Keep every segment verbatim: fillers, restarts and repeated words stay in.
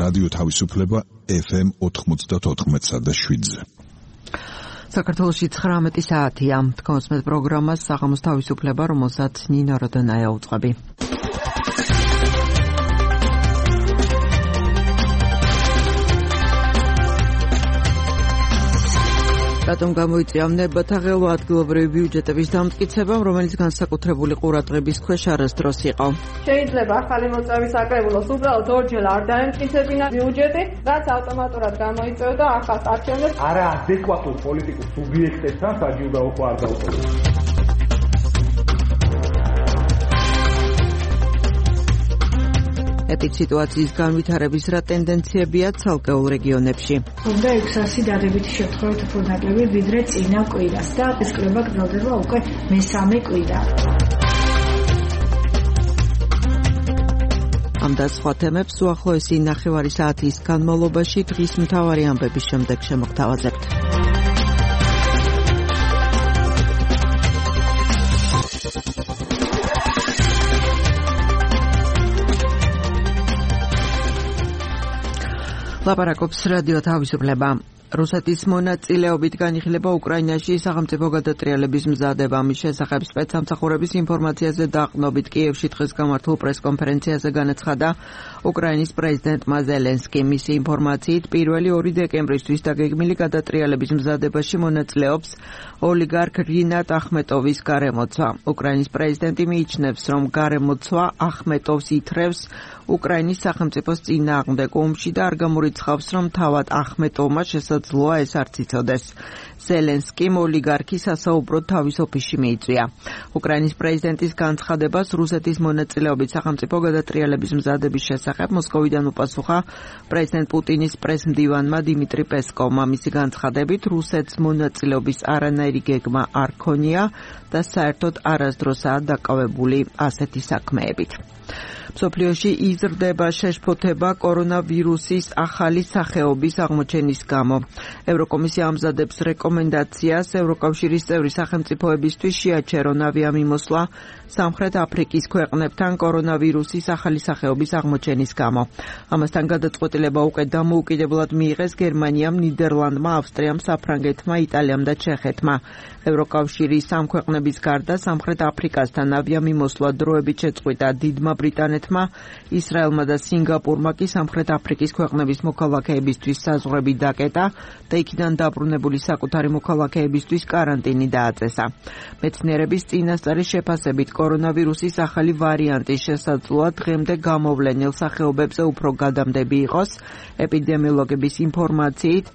რადიო თავისუფლება ეფ ემ ოთხმოცდაოთხ და შვიდზე. საქართველოში ცხრამეტი საათია. თქვენს პროგრამას საღამოს თავისუფლება, რომელსაც ნინო როდონაია უწყები. რატომ გამოიწვია ნებათა ღელვა ადგილობრივი ბიუჯეტების დამტკიცებამ, რომელიც განსაკუთრებული ყურადღების ქვეშ არასდროს იყო. შეიძლება ახალი მოწვევის საკრებულოს უბრალოდ ორჯერ არ დაემტკიცებინა ბიუჯეტი, რაც ავტომატურად გამოიწვევდა ახალ არჩევნებს. არაადეკვატურ პოლიტიკურ სუბიექტებთან საჯილდაო არ დაუყოვნეს. ეპიდემიოლოგიის განვითარების რა ტენდენციებია ცალკეულ რეგიონებში. უნდა ექვსასი დადებითი შემთხვევით უფრო ნაკლები ვიდრე წინა კვირას და ეს კვლევა გრძელდება უკვე მესამე კვირა. ამ და სხვა თემებს უახლოესი ნახევარი საათის განმავლობაში დღის მთავარი ამბების შემდეგ შემოგთავაზებთ. ლაპარაკობს რადიო თავისუფლება. რუსეთის მონაწილეობით განიხილება უკრაინაში სახელმწიფო გადატრიალების მზადება. მის შესახებ სპეცსამსახურების ინფორმაციაზე დაყრდნობით კიევში დღეს გამართულ პრესკონფერენციაზე განაცხადა უკრაინის პრეზიდენტმა ზელენსკი. მისი ინფორმაციით პირველი ორი დეკემბრისთვის დაგეგმილი გადატრიალების მზადებაში მონაწილეობს ოლიგარქ რინატ ახმეტოვის გარემოცვა. უკრაინის პრეზიდენტი მიიჩნევს, რომ გარემოცვა ახმეტოვს ითრევს უკრაინის სახელმწიფოს წინააღმდეგ ომში და არ გამორიცხავს, რომ თავად ახმეტოვმა შესაძლოა ეს არც იცოდეს. ზელენსკიმ ოლიგარქის სასაუბროდ თავის ოფისში მიიწვია. უკრაინის პრეზიდენტის განცხადებას რუსეთის მონაწილეობით სახელმწიფო გადატრიალების მზადების შესახებ მოსკოვიდან უპასუხა პრეზიდენტ პუტინის პრესმდივანმა დიმიტრი პესკოვმა. მისი განცხადებით რუსეთს მონაწილეობის არანაირი გეგმა არ ქონია და საერთოდ არასდროსაა დაკავებული ასეთი საქმეებით. მსოფლიოში იზრდება შეშფოთება კორონავირუსის ახალი სახეობის აღმოჩენის გამო. ევროკომისია ამზადებს რეკომენდაციას ევროკავშირის წევრი სახელმწიფოებისთვის შეაჩერონ ავიამიმოსვლა სამხრეთ აფრიკის ქვეყნებთან კორონავირუსის ახალი სახეობის აღმოჩენის გამო. ამასთან გადაწყვეტილება უკვე დამოუკიდებლად მიიღეს გერმანიამ, ნიდერლანდმა, ავსტრიამ, საფრანგეთმა, იტალიამ და ჩეხეთმა. ევროკავშირის ამ ქვეყნების გარდა სამხრეთ აფრიკასთან ავიამიმოსვლა დროებით შეწყვიტა დიდმა ბრიტანეთმა, ისრაელმა და სინგაპურმა კი სამხრეთ აფრიკის ქვეყნების მოქალაქეებისთვის საზღვრები დაკეტა და იქიდან დაბრუნებული საკუთარი მოქალაქეებისთვის კარანტინი დააწესა. მეცნიერების წინასწარი შეფასებით კორონავირუსის ახალი ვარიანტი შესაძლოა დღემდე გამოვლენილ სახეობებზე უფრო გადამდები იყოს. ეპიდემიოლოგების ინფორმაციით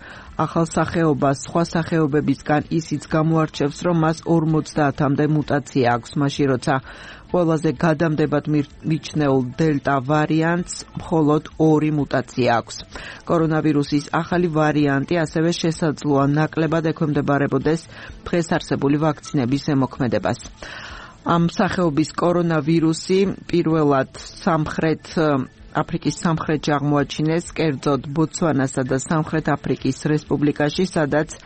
ახალ სახეობას სხვა სახეობებისგან ისიც გამოარჩევს, რომ მას ორმოცდაათამდე მუტაცია აქვს, მაშინ როცა ყველაზე გადამდებად მიჩნეულ დელტა ვარიანტს მხოლოდ ორი მუტაცია აქვს. კორონავირუსის ახალი ვარიანტი ასევე შესაძლოა ნაკლებად ექვემდებარებოდეს დღეს არსებული ვაქცინების ზემოქმედებას. ამ სახეობის კორონავირუსი პირველად სამხრეთ აფრიკის სამხრეთში აღმოაჩინეს, კერძოდ ბოტსვანასა და სამხრეთ აფრიკის რესპუბლიკაში, სადაც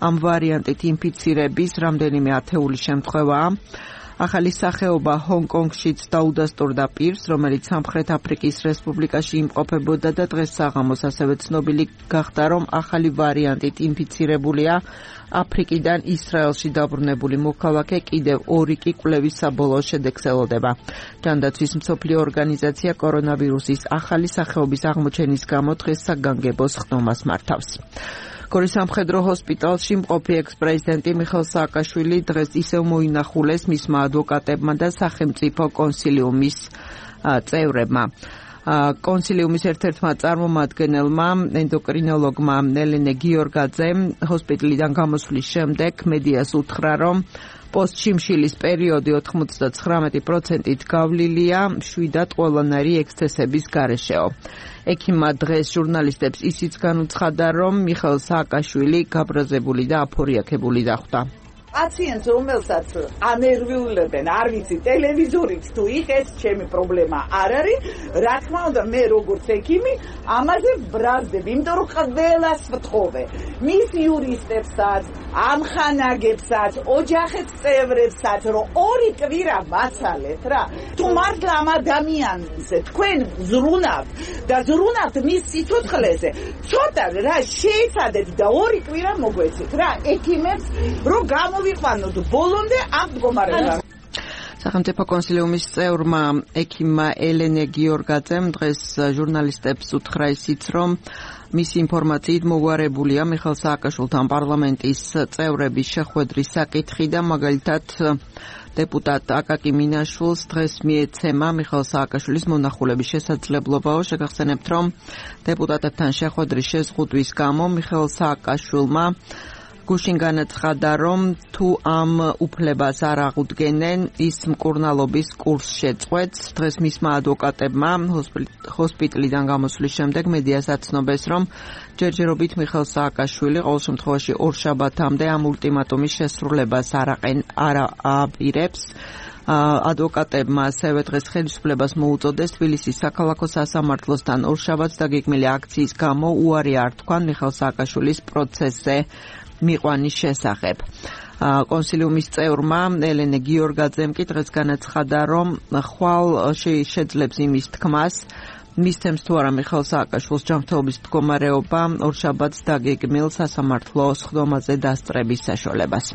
ამ ვარიანტით ინფიცირების რამდენიმე ათეული შემთხვევაა. ახალი სახეობა ჰონგ-კონგშიც დაუდასტურდა პირს, რომელიც სამხრეთ აფრიკის რესპუბლიკაში იმყოფებოდა და დღეს საღამოს ასევე ცნობილი გახდა, რომ ახალი ვარიანტით ინფიცირებულია აფრიკიდან ისრაელში დაბრუნებული მოქალაქე, კიდევ ორი კი კვლევის საბოლოო შედეგს ელოდება. ჯანდაცვის მსოფლიო ორგანიზაცია კორონავირუსის ახალი სახეობის აღმოჩენის გამო დღეს საგანგებო ხდომას მართავს. გორის სამხედრო ჰოსპიტალში მყოფი ექს-პრეზიდენტი მიხეილ სააკაშვილი დღეს ისევ მოინახულეს მისმა ადვოკატებმა და სახელმწიფო კონსილიუმის წევრებმა. კონსილიუმის ერთ-ერთმა წარმომადგენელმა, ენდოკრინოლოგმა ელენე გიორგაძე, ჰოსპიტალიდან გამოსვლის შემდეგ მედიას უთხრა, რომ პოსტშიმშილის პერიოდი ოთხმოცდაცხრამეტი პროცენტით გავლილია შვიდად ყველანაირი ექსცესების გარეშეო. ექიმმა დღეს ჟურნალისტებს ისიც განუცხადა, რომ მიხეილ სააკაშვილი გაბრაზებული და აფორიაქებული დახვდა. პაციენტს, რომელსაც ანერვიულებენ, არ ვიცი, ტელევიზორით თუ იღეს, ჩემი პრობლემა არ არის. რა თქმა უნდა, მე როგორც ექიმი ამაზე ბრაზდები, იმიტომ რომ ყველას ვთხოვე. მის იურისტებსაც, ამხანაგებსაც, ოჯახის წევრებსაც, რომ ორი კვირა მაცალეთ რა. თუ მართლა ამ ადამიანზე თქვენ ზრუნავთ და ზრუნავთ მის სიცოცხლეზე, ცოტა რა შეიცადეთ და ორი კვირა მოგვეცეთ რა, ექიმებს რომ გამოვიყვანოთ ბოლომდე ამ მდგომარეობამ. სახელმწიფო კონსილიუმის წევრმა ექიმმა ელენე გიორგაძემ დღეს ჟურნალისტებს უთხრა ისიც, რომ მისი ინფორმაციით მოგვარებულია მიხეილ სააკაშვილთან პარლამენტის წევრების შეხვედრის საკითხი და მაგალითად დეპუტატ აკაკი მინაშვილს დღეს მიეცემა მიხეილ სააკაშვილის მონახულების შესაძლებლობაო. შეგახსენებთ, რომ დეპუტატებთან შეხვედრის შეზღუდვის გამო მიხეილ სააკაშვილმა გუშინ განაცხადა, რომ თუ ამ უფლებას არ აღუდგენენ, ის მკურნალობის კურსს შეწყვეტს. დღეს მისმა ადვოკატებმა ჰოსპიტალიდან გამოსვლის შემდეგ მედიას აცნობეს, რომ ჯერჯერობით მიხეილ სააკაშვილი ყოველ შემთხვევაში ორშაბათამდე ამ ულტიმატუმის შესრულებას არ აპირებს. ადვოკატებმა ასევე დღეს ხელისუფლებას მოუწოდეს თბილისის საქალაქო სასამართლოსთან ორშაბათს დაგეგმილი აქციის გამო უარი არ თქვან მიხეილ სააკაშვილის პროცესზე მიყვანის შესახებ. კონსილიუმის წევრმა ელენე გიორგაძემ კი დღეს განაცხადა, რომ ხვალ შეძლებს იმის თქმას, მისცემს თუ არა მიხეილ სააკაშვილს ჯანმრთელობის მდგომარეობა ორშაბათს დაგეგმილ სასამართლო სხდომაზე დასწრების საშუალებას.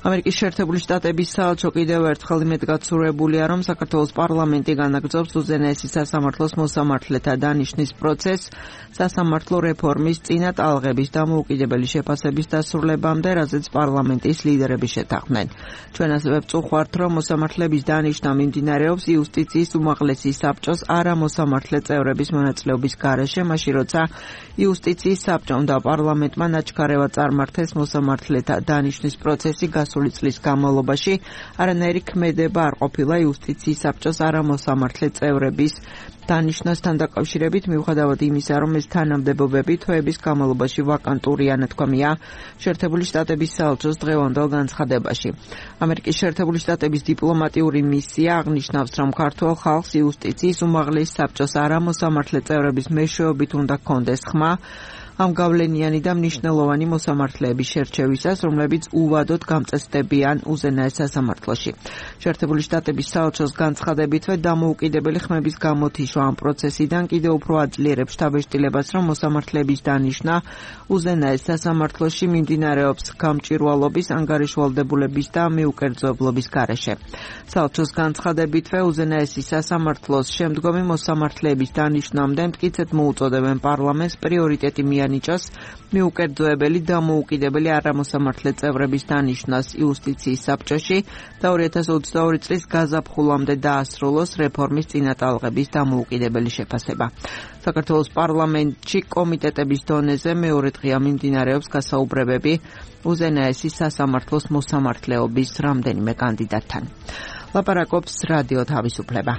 ამერიკის შეერთებული შტატების საელჩო კიდევ ერთხელ იმედგაცრუებულია, რომ საქართველოს პარლამენტი განაგრძობს უზენაესი სასამართლოს მოსამართლეთა დანიშვნის პროცესს სასამართლო რეფორმის წინა ტალღების დამოუკიდებელი შეფასების დასრულებამდე, რაზეც პარლამენტის ლიდერები შეთანხმდნენ. ჩვენ ასევე ვწუხართ, რომ მოსამართლეების დანიშვნა მიმდინარეობს იუსტიციის უმაღლესი საბჭოს არამოსამართლე წევრების მონაწილეობის გარეშე, მაშინ როცა იუსტიციის საბჭომ და პარლამენტმა ნაჩქარევად წარმართეს მოსამართლეთა დანიშვნის პროცესი გასული წლის განმავლობაში, არანაირი ქმედება არ ყოფილა იუსტიციის საბჭოს არამოსამართლე წევრების დანიშვნასთან დაკავშირებით, მიუხედავად იმისა, რომ ეს თანამდებობები თვეების განმავლობაში ვაკანტურია, ნათქვამია შეერთებული შტატების საელჩოს დღევანდელ განცხადებაში. ამერიკის შეერთებული შტატების დიპლომატიური მისია აღნიშნავს, რომ ქართველ ხალხს იუსტიციის უმაღლეს საბჭოს არამოსამართლე წევრების მეშვეობით უნდა ჰქონდეს ხმა ამ გავლენიანი და მნიშვნელოვანი მოსამართლეების შერჩევისას, რომლებიც უვადოდ გამწესდებიან უზენაეს სასამართლოში. შეერთებული შტატების საელჩოს განცხადებითვე დამოუკიდებელი ხმების გამოთიშვა ამ პროცესიდან კიდევ უფრო აძლიერებს შთაბეჭდილებას, რომ მოსამართლეების დანიშვნა უზენაეს სასამართლოში მიმდინარეობს გამჭვირვალობის, ანგარიშვალდებულების და მიუკერძოებლობის გარეშე. საელჩოს განცხადებითვე უზენაესი სასამართლოს შემდგომი მოსამართლეების დანიშვნამდე მტკიცედ მოუწოდებენ პარლამენტს პრიორიტეტი მიანიჭოს მიუკერძოებელი დამოუკიდებელი არამოსამართლე წევრების დანიშვნას იუსტიციის საბჭოში და ორი ათას ოცდაორი წლის გაზაფხულამდე დაასრულოს რეფორმის წინატალღების დამოუკიდებელი შეფასება. საქართველოს პარლამენტში კომიტეტების დონეზე მეორე დღეა მიმდინარეობს გასაუბრებები უზენაესი სასამართლოს მოსამართლეობის რამდენიმე კანდიდატთან. ლაპარაკობს რადიო თავისუფლება.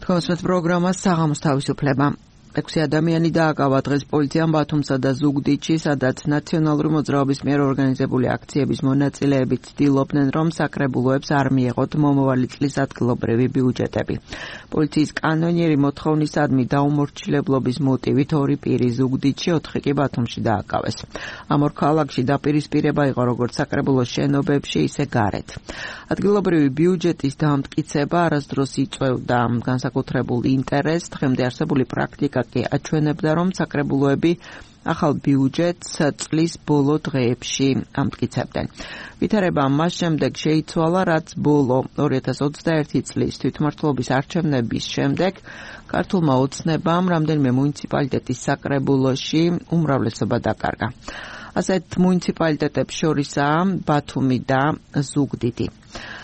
თქვენს პროგრამას საღამოს თავისუფლება. ექვსი ადამიანი დააკავა დღეს პოლიციამ ბათუმსა და ზუგდიდში, სადაც ნაციონალური მოძრაობის მიერ ორგანიზებული აქციების მონაწილეები ცდილობდნენ, რომ საკრებულოებს არ მიეღოთ მომავალი წლის ადგილობრივი ბიუჯეტები. პოლიციის კანონიერი მოთხოვნისადმი დაუმორჩილებლობის მოტივით ორი პირი ზუგდიდში, ოთხი კი ბათუმში დააკავეს. ამ ორ ქალაქში დაპირისპირება იყო როგორც საკრებულოს შენობებში, ისე გარეთ. ადგილობრივი ბიუჯეტის დამტკიცება არასდროს იწვევდა განსაკუთრებულ ინტერესს, დღემდე არსებული პრაქტიკა კი აჩვენებდა, რომ საკრებულოები ახალ ბიუჯეტს წლის ბოლო დღეებში ამტკიცებდნენ. ვითარება მას შემდეგ შეიცვალა, რაც ბოლო ორი ათას ოცდაერთი წლის თვითმმართველობის არჩევნების შემდეგ ქართულმა ოცნებამ რამდენიმე მუნიციპალიტეტის საკრებულოში უმრავლესობა დაკარგა. ასეთ მუნიციპალიტეტებს შორისაა ბათუმი და ზუგდიდი.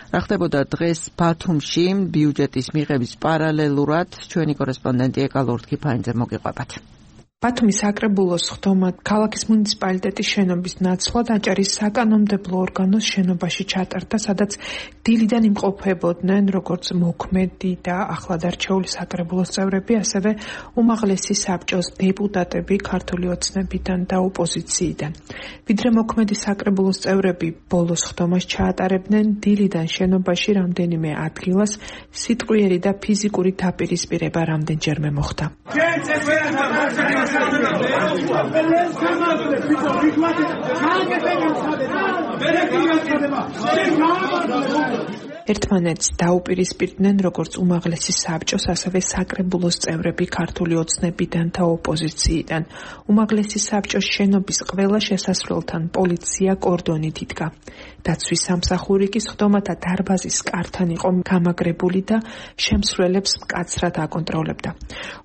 რა ხდებოდა დღეს ბათუმში ბიუჯეტის მიღების პარალელურად, ჩვენი კორესპონდენტი ეკა ლორდ-ქიფანიძე მოგიყვებათ. ბათუმის საკრებულოს ხდომა ქალაქის მუნიციპალიტეტის შენობის ნაცვლად აჭარის საკანონმდებლო ორგანოს შენობაში ჩატარდა, სადაც დილიდან იმყოფებოდნენ როგორც მოქმედი და ახლადარჩეული საკრებულოს წევრები, ასევე უმაღლესი საბჭოს დეპუტატები ქართული ოცნებიდან და ოპოზიციიდან. ვიდრე მოქმედი საკრებულოს წევრები ბოლოს ხდომას ჩაატარებდნენ, დილიდან შენობაში რამდენიმე ადგილას სიტყვიერი და ფიზიკური დაპირისპირება რამდენჯერმე მოხდა. ერთმანეთს დაუპირისპირდნენ როგორც უმაღლესი საბჭოს, ასევე საკრებულოს წევრები ქართული ოცნებიდან და ოპოზიციიდან. უმაღლესი საბჭოს შენობის ყველა შესასვლელთან პოლიცია კორდონით იდგა. დაცვის სამსახური კი ხდომათა დარბაზის კართან იყო გამაგრებული და შემსვლელებს მკაცრად აკონტროლებდა.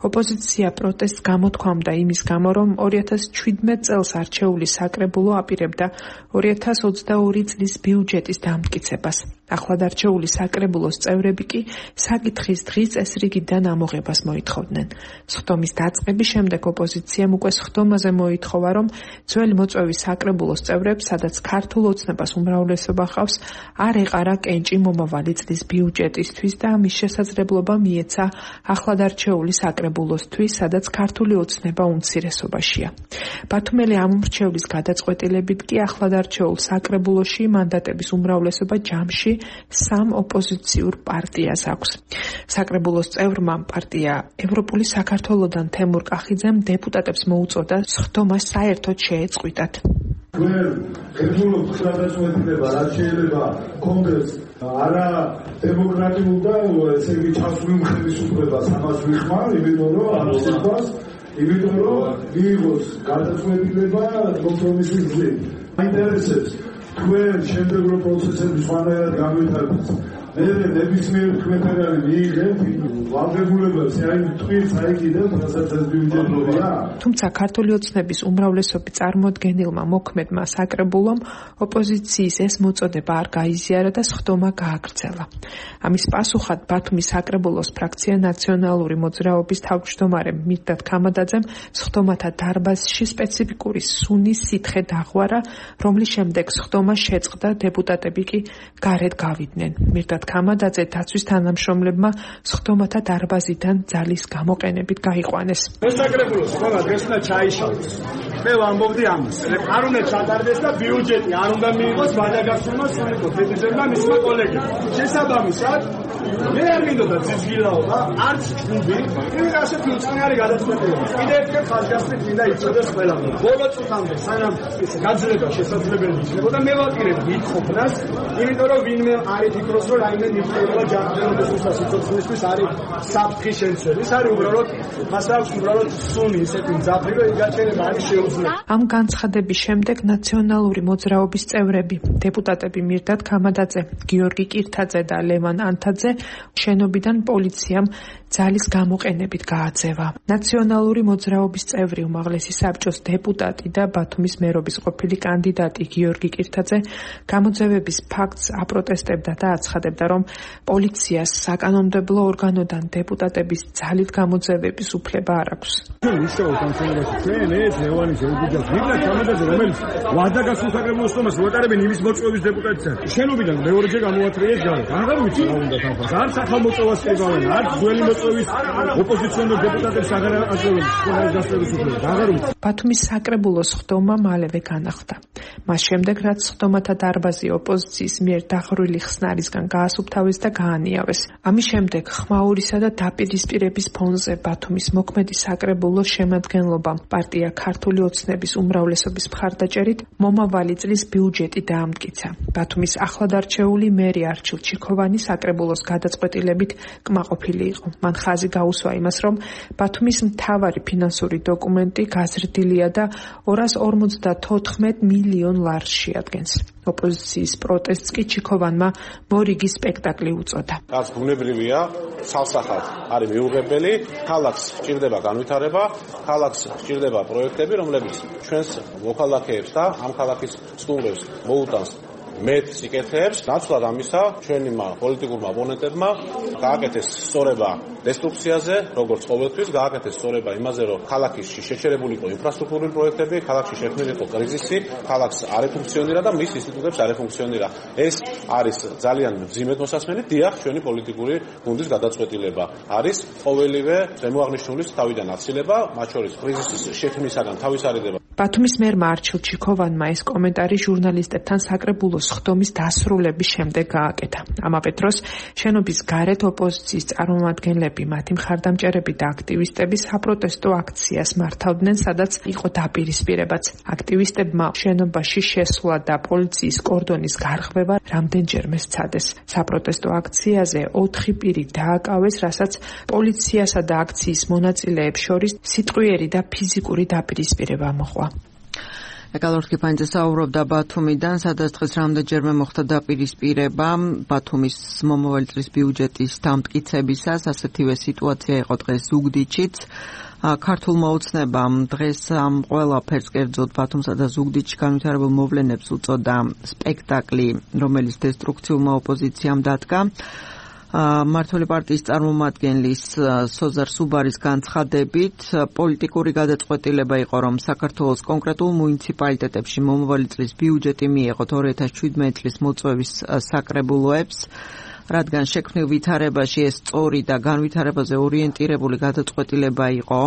ოპოზიცია პროტესტს გამოთქვამდა იმის გამო, რომ ორი ათას ჩვიდმეტ წელს არჩეული საკრებულო აპირებდა ორი ათას ოცდაორი წლის ბიუჯეტის დამტკიცებას. ახლადარჩეული საკრებულოს წევრები კი საკითხის დღის წესრიგიდან ამოღებას მოითხოვდნენ. სხდომის დაწყების შემდეგ ოპოზიციამ უკვე სხდომაზე მოითხოვა, რომ ძველი მოწვევის საკრებულოს წევრებს, სადაც ქართულ ოცნებას უმრავლესობა ჰყავს, არ ეყარა კენჭი მომავალი წლის ბიუჯეტისთვის და ამის შესაძლებლობა მიეცა ახლადარჩეული საკრებულოსთვის, სადაც ქართული ოცნება უმცირესობაშია. ბათუმელი ამომრჩევლის გადაწყვეტილებით კი ახლადარჩეულ საკრებულოში მანდატების უმრავლესობა ჯამში სამ ოპოზიციურ პარტიას აქვს. საკრებულოს წევრმა პარტია ევროპული საქართველოდან თემურ კახიძემ დეპუტატებს მოუწოდა სხდომა საერთოდ შეეწყვიტათ. ჩვენ გეძულობთ გადაწყვეტილება, რაც შეიძლება კონგრესს არა დემოკრატიულ და ესე იგი ჩასული ხელისუფლებას ამას ვიხმარ, იმიტომ რომ ამ სიტყვას, იმიტომ რომ მიიღოს გადაწყვეტილება კომპრომისის გზით. მაინტერესებს თქვენ შემდეგრო პროცესების სხვანაირად განვითარებას. მე ნებისმიერ თქვენთაგან მიიღებთ ვალდებულებას, აი თქვენ საიქიდან რასაც ეს ბიუჯეტია. თუმცა ქართული ოცნების უმრავლესობი წარმოდგენილმა მოქმედმა საკრებულომ ოპოზიციის ეს მოწოდება არ გაიზიარა და სხდომა გააგრძელა. ამის პასუხად ბათუმის საკრებულოს ფრაქცია ნაციონალური მოძრაობის თავმჯდომარე მირდად ქამადაძემ სხდომათა დარბაზში სპეციფიკური სუნის სითხე დაღვარა, რომლის შემდეგ სხდომა შეწყდა, დეპუტატები კი გარეთ გავიდნენ. მირდად ქამადაძე დაცვის თანამშრომლებმა სხდომათა დარბაზიდან ძალის გამოყენებით გაიყვანეს. ეს საკრებულოს სხდომა დღესნა ჩაიშალეს. მე ვამბობდი ამას. არ უნდა ჩატარდეს და ბიუჯეტი არ უნდა მიიღოს ვადაგასულმა სულიკო თეთრზემა მისმა კოლეგებმა. შესაბამისად, მე არ მინდოდა ძიძგილაობა, არც ჯგუფი, იმით ასეთი უწყნარი გადაწყვეტილება. კიდევ ერთხელ ხაზგასმით მინდა იცოდეს ყველამ. ბოლო წუთამდე სანამ გაძლება შესაძლებელი იქნებოდა, მე ვაპირებ ვითხოვნას, იმიტომ რომ ვინმე არ იფიქროს, რომ რაიმე ნიფრება ჯანმრთელობის სიცოცხლისთვის არის საფრთხე შემცველი. ეს არის უბრალოდ მას აქვს უბრალოდ სუნი ისეთი მძაფრი, რომ იგაჩერება არის შეუძლებელი. ამ განცხადების შემდეგ ნაციონალური მოძრაობის წევრები, დეპუტატები მირდად ქამადაძე, გიორგი კირთაძე და ლევან ანთაძე შენობიდან პოლიციამ ძალის გამოყენებით გააძევა. ნაციონალური მოძრაობის წევრი, უმაღლესი საბჭოს დეპუტატი და ბათუმის მერობის ყოფილი კანდიდატი გიორგი კირთაძე გამოძევების ფაქტს აპროტესტებდა და აცხადებდა, რომ პოლიციას საკანონმდებლო ორგანოდან დეპუტატების ძალით გამოძევების უფლება არ აქვს. ისწავლოთ ამ შემთხვევაში ჩვენ ეს ლევანი შეუძლიათ მირდად ქამადაძე, რომელიც ვადაგასულ საკრებულოს სხდომას ვატარებენ იმის მოწვევის დეპუტატისა. შენობიდან მეორეჯერ გამოათრიეს გარეთ. აღარ ვიცი რა უნდა თანხმას. არც ახალ მოწვევას კრიბავენ, არც ძველი მოწვევის ოპოზიციონერ დეპუტატებს აღარ აწევენ სხდომის დასწრების უფლებას. აღარ ვიცი. ბათუმის საკრებულოს სხდომა მალევე განახლდა. მას შემდეგ, რაც სხდომათა დარბაზი ოპოზიციის მიერ დაღრული ხსნარისგან გაასუფთავეს და გაანიავეს. ამის შემდეგ ხმაურისა და დაპირისპირების ფონზე ბათუმის მოქმედი საკრებულოს შემადგენლობამ პარტია ქართული ოცნების უმრავლესობის მხარდაჭერით მომავალი წლის ბიუჯეტი დაამტკიცა. ბათუმის ახლადარჩეული მერი არჩილ ჩიქოვანი საკრებულოს გადაწყვეტილებით კმაყოფილი იყო. მან ხაზი გაუსვა იმას, რომ ბათუმის მთავარი ფინანსური დოკუმენტი გაზრდილია და ორას ორმოცდათოთხმეტ მილიონ ლარს შეადგენს. ოპოზიციის პროტესტს კი ჩიქოვანმა მორიგი სპექტაკლი უწოდა. რაც ბუნებრივია, სალსახად არის მიუღებელი, ქალაქს სჭირდება განვითარება, ქალაქს სჭირდება პროექტები, რომლებიც ჩვენს მოქალაქეებს და ამ ქალაქის სტუმრებს მოუტანს მეტ სიკეთეებს. ნაცვლად ამისა, ჩვენმა პოლიტიკურმა ოპონენტებმა გააკეთეს სწორება დესტრუქციაზე, როგორც ყოველთვის, გააკეთეს სწორება იმაზე, რომ ქალაქში შეჩერებული იყო ინფრასტრუქტურული პროექტები, ქალაქში შექმნილი იყო კრიზისი, ქალაქს არ ეფუნქციონირა და მის ინსტიტუტებს არ ეფუნქციონირა. ეს არის ძალიან მძიმედ მოსასმენი, დიახ, ჩვენი პოლიტიკური გუნდის გადაწყვეტილება არის ყოველივე ზემოაღნიშნულის თავიდან აცილება, მათ შორის კრიზისის შექმნისაგან თავის არიდება. ბათუმის მერმა არჩილ ჩიქოვანმა ეს კომენტარი ჟურნალისტებთან საკრებულოს ხდომის დასრულების შემდეგ გააკეთა. ამავე დროს შენობის გარეთ ოპოზიციის წარმომადგენლები, მათი მხარდამჭერები და აქტივისტები საპროტესტო აქციას მართავდნენ, სადაც იყო დაპირისპირებაც. აქტივისტებმა შენობაში შესვლა და პოლიციის კორდონის გარღვევა რამდენჯერმე სცადეს. საპროტესტო აქციაზე ოთხი პირი დააკავეს, რასაც პოლიციასა და აქციის მონაწილეებს შორის სიტყვიერი და ფიზიკური დაპირისპირება მოჰყვა. ეკალორსკი ფანიძე საუბრობდა ბათუმიდან, სადაც დღეს რამდენჯერმე მოხდა დაპირისპირება ბათუმის მომავალი წლის ბიუჯეტის დამტკიცებისას. ასეთივე სიტუაცია იყო დღეს ზუგდიდშიც. ქართულმა ოცნებამ დღეს ამ ყველაფერს კერძოდ ბათუმსა და ზუგდიდში განვითარებულ მოვლენებს უწოდა სპექტაკლი, რომელიც დესტრუქციულმა ოპოზიციამ დადგა. მართული პარტიის წარმომადგენლის სოზარ სუბარის განცხადებით, პოლიტიკური გადაწყვეტილება იყო, რომ საქართველოს კონკრეტულ მუნიციპალიტეტებში მომავალი წლის ბიუჯეტი მიეღოთ ორი ათას შვიდმეტი წლის მოწვევის საკრებულოებს, რადგან შექმნილ ვითარებაში ეს სწორი და განვითარებაზე ორიენტირებული გადაწყვეტილება იყო.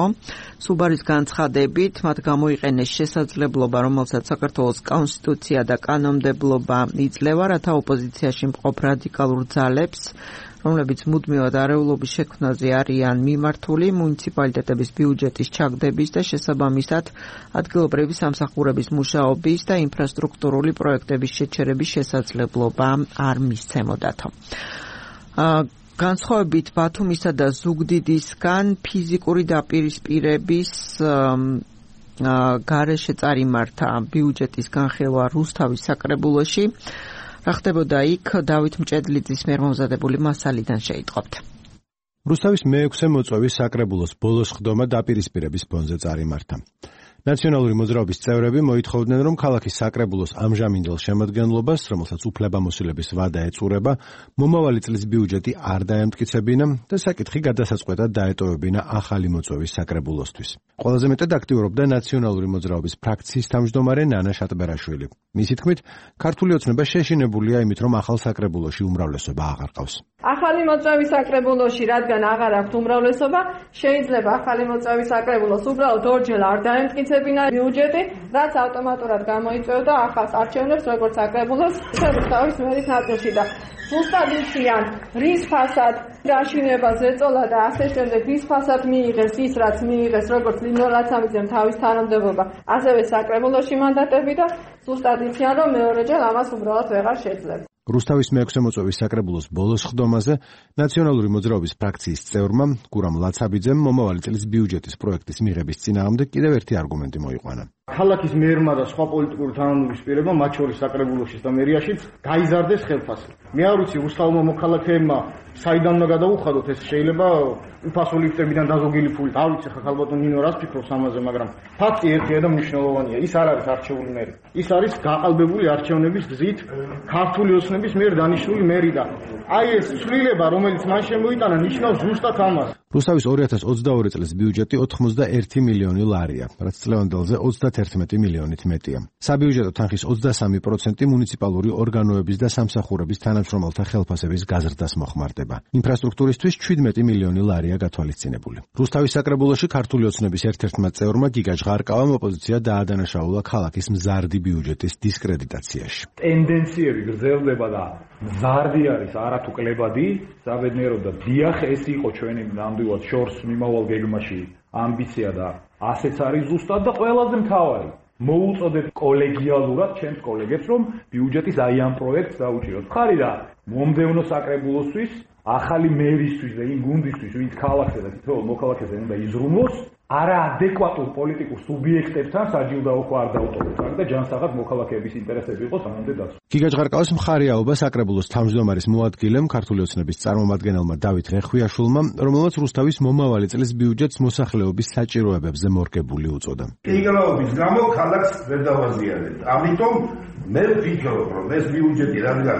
სუბარის განცხადებით, მათ გამოიყენეს შესაძლებლობა, რომელსაც საქართველოს კონსტიტუცია და კანონმდებლობა იძლევა, რათა ოპოზიციაში მყოფ რადიკალურ ძალებს, რომლებიც მუდმივად არეულობის შექმნაზე არიან მიმართული, მუნიციპალიტეტების ბიუჯეტის ჩაგდების და შესაბამისად ადგილობრივი სამსახურების მუშაობის და ინფრასტრუქტურული პროექტების შეჩერების შესაძლებლობა არ მისცემოდათ. განსხვავებით ბათუმისა და ზუგდიდისგან ფიზიკური დაპირისპირების გარეშე წარიმართა ბიუჯეტის განხილვა რუსთავის საკრებულოში. რა ხდებოდა იქ, დავით მჭედლიძის მიერ მომზადებული მასალიდან შეიტყობთ. რუსთავის მეექვსე მოწვევის საკრებულოს ბოლოს ხდომა დაპირისპირების ფონზე წარიმართა. ნაციონალური მოძრაობის წევრები მოითხოვდნენ, რომ ქალაქის საკრებულოს ამჟამინდელ შემადგენლობას, რომელსაც უფლებამოსილების ვადა ეწურება, მომავალი წლის ბიუჯეტი არ დაემტკიცებინა და საკითხი გადასაწყვეტად დაეტოვებინა ახალი მოწვევის საკრებულოსთვის. ყველაზე მეტად აქტიურობდა ნაციონალური მოძრაობის ფრაქციის თავმჯდომარე ნანა შატბერაშვილი. მისი თქმით, ქართული ოცნება შეშინებულია იმით, რომ ახალ საკრებულოში უმრავლესობა აღარ ყავს. ახალი მოწვევის საკრებულოში, რადგან აღარ აქვს უმრავლესობა, შეიძლება ახალი მოწვევის საკრებულოს უბრალოდ ორჯერ არ დაემტკიცებინა ბიუჯეტი, რაც ავტომატურად გამოიწვევდა ახალ არჩევნებს, როგორც საკრებულოს, ისე რუსთავის მერის ნაწილში და ზუსტად იციან, რის ფასად გაშინება ზეწოლა და ასე შემდეგ, რის ფასად მიიღეს ის, რაც მიიღეს, როგორც ლინო ლაცამიძემ თავის თანამდებობა, ასევე საკრებულოში მანდატები და ზუსტად იციან, რომ მეორეჯერ ამას უბრალოდ ვეღარ შეძლებს. რუსთავის მეექვსე მოწვევის საკრებულოს ბოლოს ხდომაზე ნაციონალური მოძრაობის ფრაქციის წევრმა გურამ ლაცაბიძემ მომავალი წლის ბიუჯეტის პროექტის მიღების წინააღმდეგ კიდევ ერთი არგუმენტი მოიყვანა. ქალაქის მერმა და სხვა პოლიტიკური თანამდებობის პირებმა, მათ შორის საკრებულოშიც და მერიაშიც, გაიზარდეს ხელფასი. მე არ ვიცი, რუსთავმა მოქალაქეებმა საიდან უნდა გადაუხადოთ, ეს შეიძლება უფასო ლიფტებიდან დაზოგილი ფულით. არ ვიცი, ხა ალბათ ნინო რას ფიქრობს ამაზე, მაგრამ ფაქტი ერთია და მნიშვნელოვანია. ის არ არის არჩეული მერი. ის არის გაყალბებული არჩევნების გზით ქართული ოცნების მიერ დანიშნული მერი და აი ეს ცვლილება, რომელიც მან შემოიტანა, ნიშნავს ზუსტად ამას. რუსთავის ორი ათას ოცდაორი წლის ბიუჯეტი ოცდაერთი მილიონი ლარია, რაც წლევანდელზე ოცდაათერთმეტი მილიონით მეტია. საბიუჯეტო თანხის ოცდასამი პროცენტი მუნიციპალური ორგანოების და სამსახურების თანამშრომელთა ხელფასების გაზრდას მოხმარდება. ინფრასტრუქტურისთვის შვიდმეტი მილიონი ლარია გათვალისწინებული. რუსთავის საკრებულოში ქართული ოცნების ერთ-ერთმა წევრმა გიგა ჟღარკავამ ოპოზიცია დაადანაშაულა ქალაქის მზარდი ბიუჯეტის დისკრედიტაციაში. ტენდენციები გრძელდება და მზარდი არის არათუ კლებადი, საბედნიეროდ და დიახ, ეს იყო ჩვენი ნამდვილად შორს მიმავალ გეგმაში ამბიცია და ასეც არის ზუსტად და ყველაზე მთავარი. მოუწოდეთ კოლეგიალურად ჩემს კოლეგებს, რომ ბიუჯეტის აი ამ პროექტს დაუჭიროთ. ხარი და მომდევნო საკრებულოსთვის, ახალი მერისთვის და იმ გუნდისთვის, ვინც ქალაქზე და თითოეულ მოქალაქეზე უნდა იზრუნოს, არაადეკვატურ პოლიტიკურ სუბიექტებთან საჯილდაო ხო არ დაუტოვოთ და ჯანსაღად მოქალაქეების ინტერესები იყოს ამამდე დაცული. გიგა ჟღარკავის მხარეაობა საკრებულოს თავმჯდომარის მოადგილემ ქართული ოცნების წარმომადგენელმა დავით ღეხვიაშვილმა, რომელმაც რუსთავის მომავალი წლის ბიუჯეტს მოსახლეობის საჭიროებებზე მორგებული უწოდა. გიგაობის გამო ქალაქს ვერ დავაზიანებთ. ამიტომ მე ვფიქრობ, რომ ეს ბიუჯეტი რადგან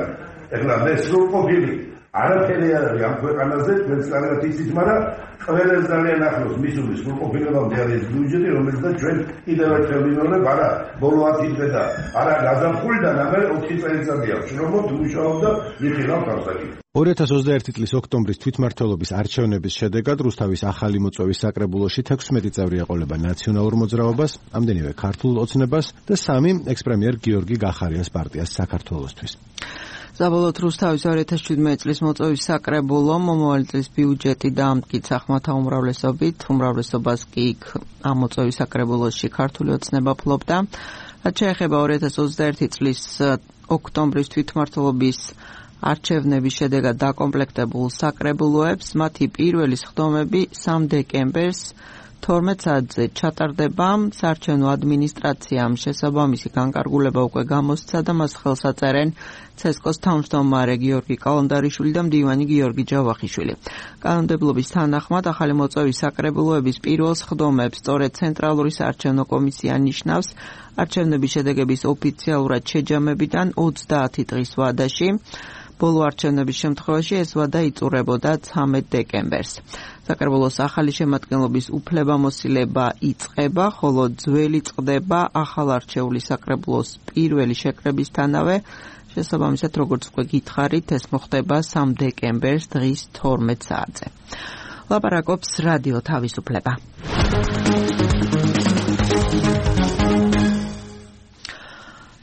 ეხლა მე სრულყოფილი არაფერი არ არის ამ ქვეყანაზე თქვენს კარგად იცით, მაგრამ ყველას ძალიან ახლოს მისულის სრულყოფილებამდე არის ბიუჯეტი, რომელსაც ჩვენ კიდევ ერთხელ ვიმეორებ, არა ბოლო ათი დღე და არა გაზაფხულიდან ამერ ოთხი წელიწადი აქვს რომ ვმუშაობ და ვიხილავ თავსაკითხს. ორი ათას ოცდაერთი წლის ოქტომბრის თვითმმართველობის არჩევნების შედეგად რუსთავის ახალი მოწვევის საკრებულოში თექვსმეტი წევრი ეყოლება ნაციონალურ მოძრაობას, ამდენივე ქართულ ოცნებას და სამი ექს-პრემიერ გიორგი გახარიას პარტიას საქართველოსთვის. საბოლოოდ რუსთავის ორი ათას შვიდმეტი წლის მოწვევის საკრებულო მომავალი წლის ბიუჯეტი დაამტკიცა ხმათა უმრავლესობით, უმრავლესობას კი იქ ამ მოწვევის საკრებულოში ქართული ოცნება ფლობდა. რაც შეეხება ორი ათას ოცდაერთი წლის ოქტომბრის თვითმმართველობის არჩევნების შედეგად დაკომპლექტებულ საკრებულოებს მათი პირველი სხდომები სამ დეკემბერს თორმეტ საათზე ჩატარდება. საარჩევნო ადმინისტრაციამ შესაბამისი განკარგულება უკვე გამოსცა და მას ხელს აწერენ ცესკოს თავმჯდომარე გიორგი კალანდარიშვილი და მდივანი გიორგი ჯავახიშვილი. კანონმდებლობის თანახმად ახალი მოწვევის საკრებულოების პირველ სხდომებს სწორედ ცენტრალური საარჩევნო კომისია ნიშნავს არჩევნების შედეგების ოფიციალურად შეჯამებიდან ოცდაათი დღის ვადაში. ბოლო არჩევნების შემთხვევაში ეს ვადა იწურებოდა ცამეტ დეკემბერს. საკრებულოს ახალი შემადგენლობის უფლებამოსილება იწყება, ხოლო ძველი წყდება ახალ არჩეული საკრებულოს პირველი შეკრებისთანავე. შესაბამისად, როგორც უკვე გითხარით, ეს მოხდება სამ დეკემბერს დღის თორმეტ საათზე. ლაპარაკობს რადიო თავისუფლება.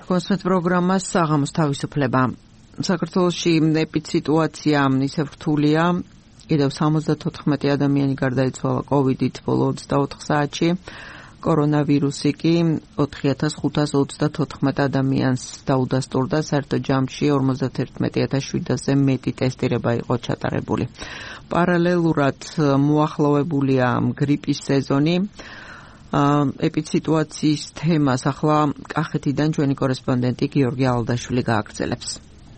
კონსმეთ პროგრამა საღამოს თავისუფლება. საქართველოში ეპიდსიტუაცია ისევ რთულია. კიდევ სამოცდათოთხმეტი ადამიანი გარდაიცვალა კოვიდით ბოლო ოცდაოთხ საათში. კორონავირუსი კი ოთხი ათას ხუთას ოცდათოთხმეტ ადამიანს დაუდასტურდა, საერთო ჯამში ორმოცდაერთმეტი ათას შვიდასზე მეტი ტესტირება იყო ჩატარებული. პარალელურად მოახლოვებულია გრიპის სეზონი. ეპიდსიტუაციის თემას ახლა კახეთიდან ჩვენი კორესპონდენტი გიორგი ალდაშვილი გააგრძელებს.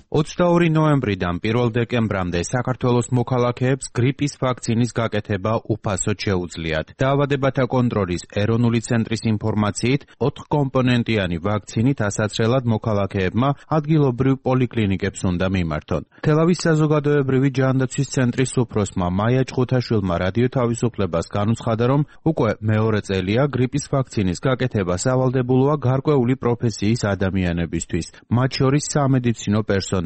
ოცდაორი ნოემბრიდან პირველ დეკემბრამდე საქართველოს მოქალაქეებს გრიპის ვაქცინის გაკეთება უფასოდ შეუძლიათ. დაავადებათა კონტროლის ეროვნული ცენტრის ინფორმაციით, ოთხკომპონენტიანი ვაქცინით ასაცრელად მოქალაქეებმა ადგილობრივ პოლიკლინიკებს უნდა მიმართონ. თელავის საზოგადოებრივი ჯანდაცვის ცენტრის უფროსმა მაია ჭყუთაშვილმა რადიო თავისუფლებას განუცხადა, რომ უკვე მეორე წელია გრიპის ვაქცინის გაკეთება სავალდებულოა გარკვეული პროფესიის ადამიანებისთვის, მათ შორის სამედიცინო პერსონალისთვის,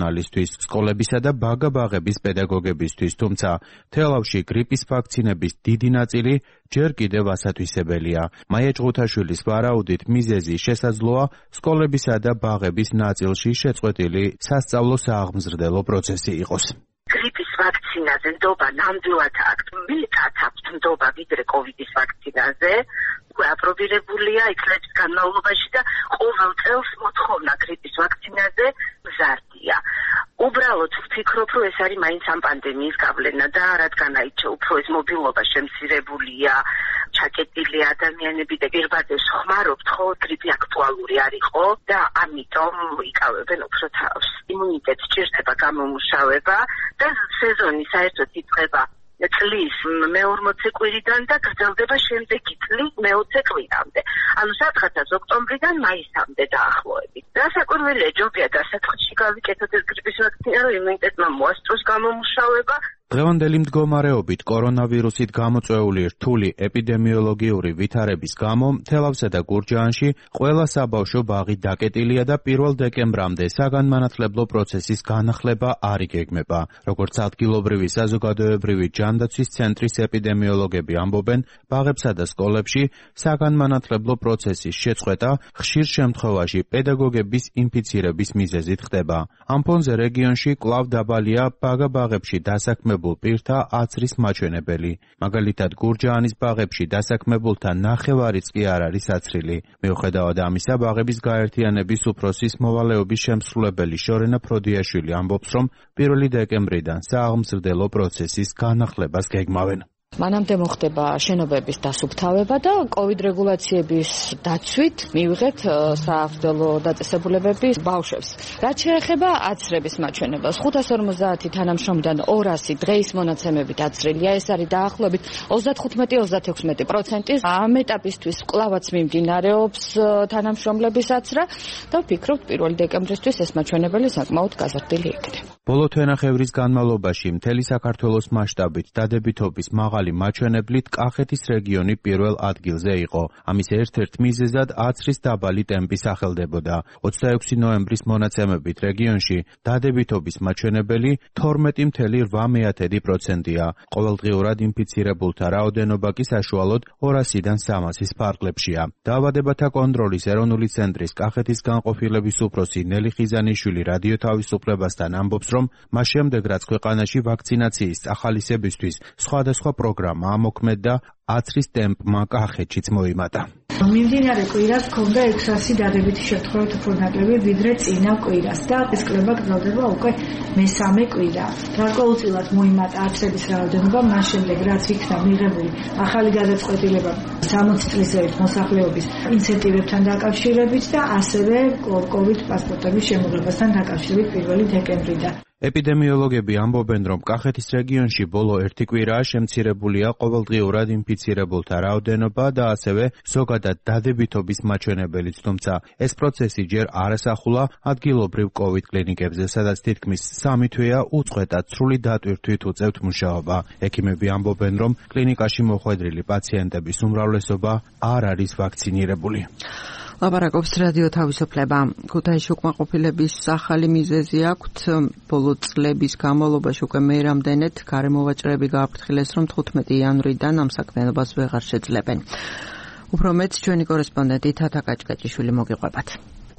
სკოლებისა და ბაგა-ბაღების პედაგოგებისთვის, თუმცა თელავში გრიპის ვაქცინების დიდი ნაწილი ჯერ კიდევ ასათვისებელია. მაია ჭყუთაშვილის ვარაუდით მიზეზი შესაძლოა სკოლებისა და ბაღების ნაწილში შეწყვეტილი სასწავლო სააღმზრდელო პროცესი იყოს. გრიპის ვაქცინაზე ნდობა ნამდვილად აქვს მეტად აქვს ნდობა ვიდრე კოვიდის ვაქცინაზე. უკვე აპრობირებულია იქ წლების განმავლობაში და ყოველ წელს მოთხოვნა გრიპის ვაქცინაზე მზარდია. უბრალოდ ვფიქრობ, რომ ეს არის მაინც ამ პანდემიის გავლენა და რადგან აიჩა უფრო ეს მობილობა შემცირებულია, ჩაკეტილი ადამიანები და პირბადებს ხმარობთ, ხო გრიპი აქტუალური არისო და ამიტომ იკავებენ უფრო თავს. იმუნიტეტს სჭირდება გამომუშავება და სეზონი საერთოდ იწყება წლის მეორმოცე კვირიდან და გრძელდება შემდეგი წლის მეოცე კვირამდე. ანუ სადღაც ოქტომბრიდან მაისამდე დაახლოებით. რასაკვირველია, ჯობია დასაწყისში გავიკეთოთ ეს გრიპის ვაქცინა, რომ იმუნიტეტმა მოასწროს გამომუშავება. დღევანდელი მდგომარეობით კორონავირუსით გამოწვეული რთული ეპიდემიოლოგიური ვითარების გამო თელავსა და გურჯაანში ყველა საბავშვო ბაღი დაკეტილია და პირველ დეკემბრამდე საგანმანათლებლო პროცესის განახლება არ იგეგმება. როგორც ადგილობრივი საზოგადოებრივი ჯანდაცვის ცენტრის ეპიდემიოლოგები ამბობენ, ბაღებსა და სკოლებში საგანმანათლებლო პროცესის შეწყვეტა ხშირ შემთხვევაში პედაგოგების ინფიცირების მიზეზით ხდება. ამ ფონზე რეგიონში კვლავ დაბალია ბაგა-ბაღებში დასაქმებულ პირთა აცრის მაჩვენებელი. მაგალითად, გურჯაანის ბაღებში დასაქმებულთა ნახევარიც კი არ არის აცრილი. მიუხედავად ამისა, ბაღების გაერთიანების უფროსის მოვალეობის შემსრულებელი შორენა ფროდიაშვილი ამბობს, რომ პირველი დეკემბრიდან სააღმზრდელო პროცესის განახლებას გეგმავენ. მანამდე მოხდება შენობების დასუფთავება და კოვიდ რეგულაციების დაცვით მივიღეთ სააღმრდელო დაწესებულებების ბავშვებს. რაც შეეხება აცრების მაჩვენებელს, ხუთას ორმოცდაათი თანამშრომლიდან ორასი დღეის მონაცემებით აცრილია. ეს არის დაახლოებით ოცდათხუთმეტი ოცდაექვსმეტი პროცენტი. ამ ეტაპისთვის კვლავაც მიმდინარეობს თანამშრომლების აცრა და ვფიქრობთ პირველი დეკემბრისთვის ეს მაჩვენებელი საკმაოდ გაზრდილი იქნება. ბოლო თვენახევრის განმავლობაში მთელი საქართველოს მასშტაბით დადებითობის მაღალი მაჩვენებლით კახეთის რეგიონი პირველ ადგილზე იყო. ამის ერთ-ერთ მიზეზად აცრის დაბალი ტემპი სახელდებოდა. ოცდაექვსი ნოემბრის მონაცემებით რეგიონში დადებითობის მაჩვენებელი თორმეტი ფاصლე რვა პროცენტია. ყოველდღიურად ინფიცირებულთა რაოდენობა კი საშუალოდ ორასიდან სამასის ფარგლებშია. დაავადებათა კონტროლის ეროვნული ცენტრის კახეთის განყოფილების უფროსი ნელი ხიზანიშვილი რადიო თავისუფლებასთან ამბობს, რომ მას შემდეგ რაც ქვეყანაში ვაქცინაციის წახალისებისთვის სხვადასხვა პროგრამა ამოქმედდა, აცრის ტემპმა კახეთშიც მოიმატა. მიმდინარე კვირას ჰქონდა ექვსასი დადებითი შემთხვევით უფრო ნაკლები ვიდრე წინა კვირას და ეს კვლევა გრძელდება უკვე მესამე კვირა. გარკვეულწილად მოიმატა აცრების რაოდენობა მას შემდეგ რაც იქნა მიღებული ახალი გადაწყვეტილება სამოცი წლის ზევით მოსახლეობის ინცენტივებთან დაკავშირებით და ასევე კოვიდ პასპორტების შემოღებასთან დაკავშირებით პირველი დეკემბრიდან. ეპიდემიოლოგები ამბობენ, რომ კახეთის რეგიონში ბოლო ერთი კვირაა შემცირებულია ყოველდღიურად ინფიცირებულთა რაოდენობა და ასევე ზოგადად დადებითობის მაჩვენებელიც, თუმცა ეს პროცესი ჯერ არ ასახულა ადგილობრივ კოვიდ კლინიკებზე, სადაც თითქმის სამი თვეა უწყვეტად სრული დატვირთვით უწევთ მუშაობა. ექიმები ამბობენ, რომ კლინიკაში მოხვედრილი პაციენტების უმრავლესობა არ არის ვაქცინირებული. ლაპარაკობს რადიო თავისუფლება. ქუთაისში უკმაყოფილების ახალი მიზეზი აქვთ. ბოლო წლების განმავლობაში უკვე მე რამდენად გარემოვაჭრეები გააფრთხილეს, რომ თხუთმეტი იანვრიდან ამ საქმიანობას ვეღარ შეძლებენ. უფრო მეც ჩვენი კორესპონდენტი თათა კაჭკაჭიშვილი მოგიყვებათ.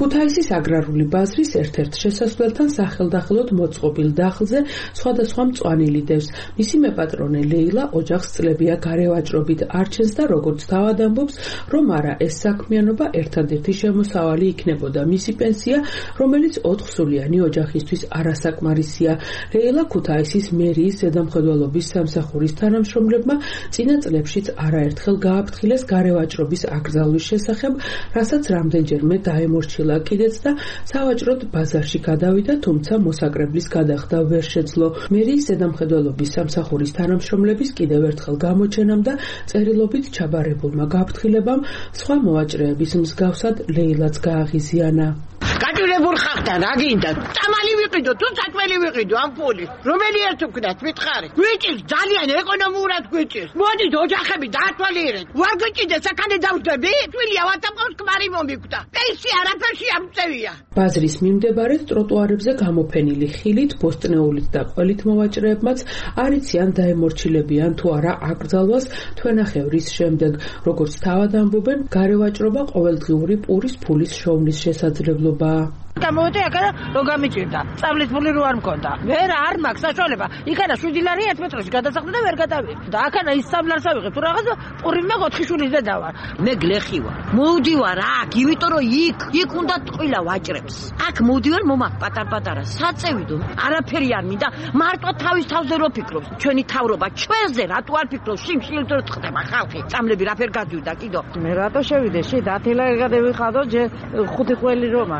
ქუთაისის აგრარული ბაზრის ერთ-ერთ შესასვლელთან სახელდახელოდ მოწყობილ დახლზე სხვადასხვა მწვანილი დევს. მისი მეპატრონე ლეილა ოჯახს წლებია გარევაჭრობით არჩენს და როგორც თავად ამბობს, რომ არა ეს საქმიანობა ერთადერთი შემოსავალი იქნებოდა მისი პენსია, რომელიც ოთხსულიანი ოჯახისთვის არასაკმარისია. ლეილა ქუთაისის მერიის ზედამხედველობის სამსახურის თანამშრომლებმა წინა წლებშიც არაერთხელ გააფრთხილეს გარევაჭრობის აკრძალვის შესახებ, რასაც რამდენჯერმე დაემორჩილა კიდეც და სავაჭროდ ბაზარში გადავიდა, თუმცა მოსაკრებლის გადახდა ვერ შეძლო. მერიის ზედამხედველობის სამსახურის თანამშრომლების კიდევ ერთხელ გამოჩენამ და წერილობით ჩაბარებულმა გაფრთხილებამ სხვა მოვაჭრეების მსგავსად ლეილაც გააღიზიანა. გაჭირებულ ხახთან რა გინდა? წამალი ვიყიდო, თუ საჭმელი ვიყიდო ამ ფული. რომელი ერთ ვქნათ მითხარი? გვიჭირს ძალიან ეკონომიურად გვიჭირს. მოდით ოჯახები დაათვალიერეთ. ვარ გვიჭირდეს აქამდე დავждები? თვილია ვატამყავს ქმარი მომიკვდა. პენსია არაფერში ამწევია. ბაზრის მიმდებარედ ტროტუარებზე გამოფენილი ხილით, ბოსტნეულით და ყველით მოვაჭრეებმაც არ იციან დაემორჩილებიან თუ არა აკრძალვას თვენახევრის შემდეგ. როგორც თავად ამბობენ, გარევაჭრობა ყოველდღიური პურის ფულის შოვნის შესაძლებლობაა. გამოვედი აქა რო გამიჭირდა. სწავლის ფული რო არ მქონდა. ვერ არ მაქვს საშუალება. იქანა შვიდი ლარი ერთ მეტრში გადასახლდა და ვერ გადავიღე. და აქანა ის სამლარს ავიღე. თუ რაღაცა პურიმე ოთხი შვილის დედა ვარ. მე გლეხი ვარ. მოვდივარ აქ, იმიტომ რომ იქ, იქ უნდა ტყილა ვაჭრებს. აქ მოვდივარ მომაკ პატარ-პატარა. საწევიდო. არაფერი არ მინდა. მარტო თავის თავზე რო ფიქრობს. ჩვენი თავრობა ჩვენზე რატო არ ფიქრობს? შიმშილით რო წხდება ხალხი. წამლები რაფერ გადივიდა კიდო. მე რატო შევიდე? შე დათილა გადავიხადო, ჯე ხუთი ყველი რომა.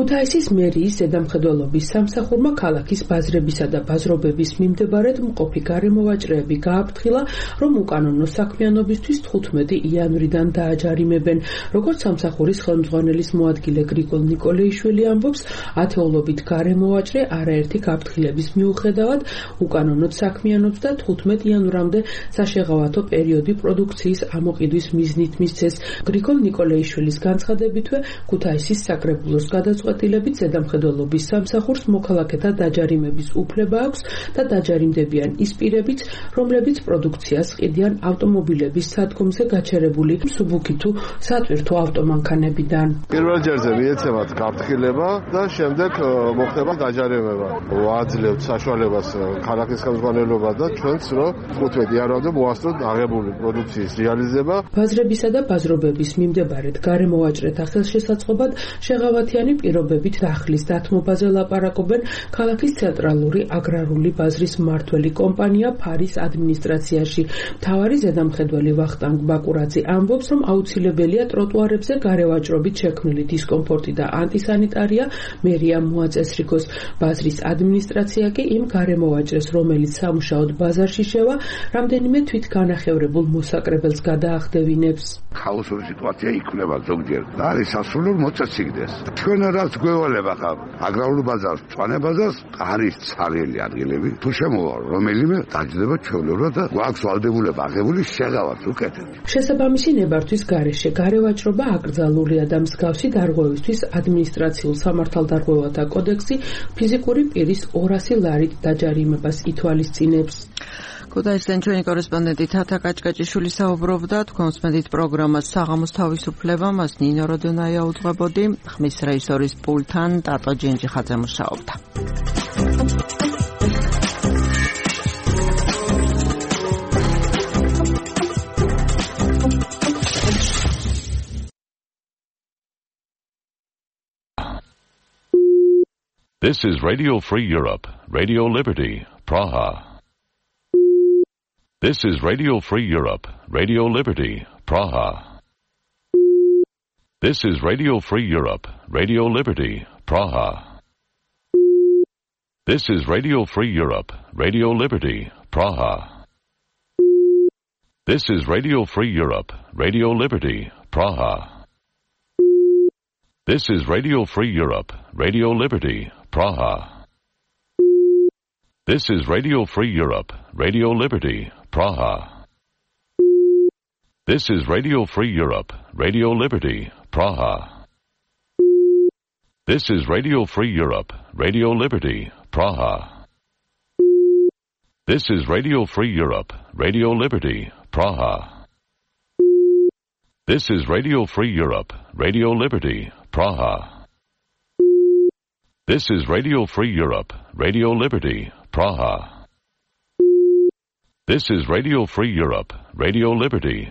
ქუთაისის მერიის ზედამხედველობის სამსახურმა ქალაქის ბაზრებისა და ბაზრობების მიმდებარედ მყოფი გარემოვაჭრეები გააფრთხილა, რომ უკანონო საქმიანობისთვის თხუთმეტი იანვრიდან დააჯარიმებენ. როგორც სამსახურის ხელმძღვანელის მოადგილე გრიგოლ ნიკოლეიშვილი ამბობს, ათეულობით გარემოვაჭრე არაერთი გაფრთხილების მიუხედავად უკანონოდ საქმიანობს და თხუთმეტ იანვრამდე საშეღავათო პერიოდი პროდუქციის ამოყიდვის მიზნით მისცეს. გრიგოლ ნიკოლეიშვილის განცხადებითვე ქუთაისის საკრებულოს გადაწყვეტილებით ზედამხედველობის სამსახურს მოქალაქეთა დაჯარიმების უფლება აქვს და დაჯარიმდებიან ის პირებიც, რომლებიც პროდუქციას ყიდიან ავტომობილების სადგომზე გაჩერებული მსუბუქი თუ სატვირთო ავტომანქანებიდან. პირველ ჯერზე მიეცემათ გაფრთხილება და შემდეგ მოხდება დაჯარიმება. ვაძლევთ საშუალებას ქალაქის ხელმძღვანელობა და ჩვენც, რომ თხუთმეტი იანვრამდე მოასწროთ აღებული პროდუქციის რეალიზება. ბაზრებისა და ბაზრობების მიმდებარედ გარემოვაჭრეთა ხელშესაწყობად შეღავათიანი პირობებით დახლის დათმობაზე ლაპარაკობენ ქალაქის ცენტრალური აგრარული ბაზრის მმართველი კომპანია ფარის ადმინისტრაციაში. მთავარი ზედამხედველი ვახტანგ ბაკურაძე ამბობს, რომ აუცილებელია ტროტუარებზე გარევაჭრობით შექმნილი დისკომფორტი და ანტისანიტარია მერიამ მოაწესრიგოს. ბაზრის ადმინისტრაცია კი იმ გარემოვაჭრეს, რომელიც სამუშაოდ ბაზარში შევა, რამდენიმე თვითგანახევრებულ მოსაკრებელს გადაახდევინებს. ქაოსური სიტუაცია იქნება ზოგჯერ და არის სასულიერო მოწესრიგდეს. ჩვენ რაც გვევალება ხა აგრარულ ბაზარს, მწვანე ბაზარს არის ცარიელი ადგილები. თუ შემოვა რომელიმე დაჯდება ჩვეულებრივად და გვაქვს ვალდებულება აღებული შეღავართ უკეთეთ. შესაბამისი ნებართვის გარეშე გარევაჭრობა აკრძალულია და მსგავსი დარღვევისთვის ადმინისტრაციულ სამართალდარღვევათა კოდექსი ფიზიკური პირის ორასი ლარით დაჯარიმებას ითვალისწინებს. ქუთაისიდან ჩვენი კორესპონდენტი თათა კაჭკაჭიშვილი საუბრობდა თქვენს მედით პროგრამას საღამოს თავისუფლება, მას ნინო როდონაია უძღვებოდი, ხმის რეჟისორის პულტთან ტატო ჯენჯიხაძე მუშაობდა. This is Radio Free Europe, Radio Liberty, Praha. This is Radio Free Europe, Radio Liberty, Praha. This is Radio Free Europe, Radio Liberty, Praha. This is Radio Free Europe, Radio Liberty, Praha. This is Radio Free Europe, Radio Liberty, Praha. This is Radio Free Europe, Radio Liberty, Praha. This is Radio Free Europe, Radio Liberty, Praha. This is Radio Free Europe, Radio Liberty, Praha. This is Radio Free Europe, Radio Liberty, Praha. This is Radio Free Europe, Radio Liberty, Praha. This is Radio Free Europe, Radio Liberty, Praha. This is Radio Free Europe, Radio Liberty, Praha. This is Radio Free Europe, Radio Liberty,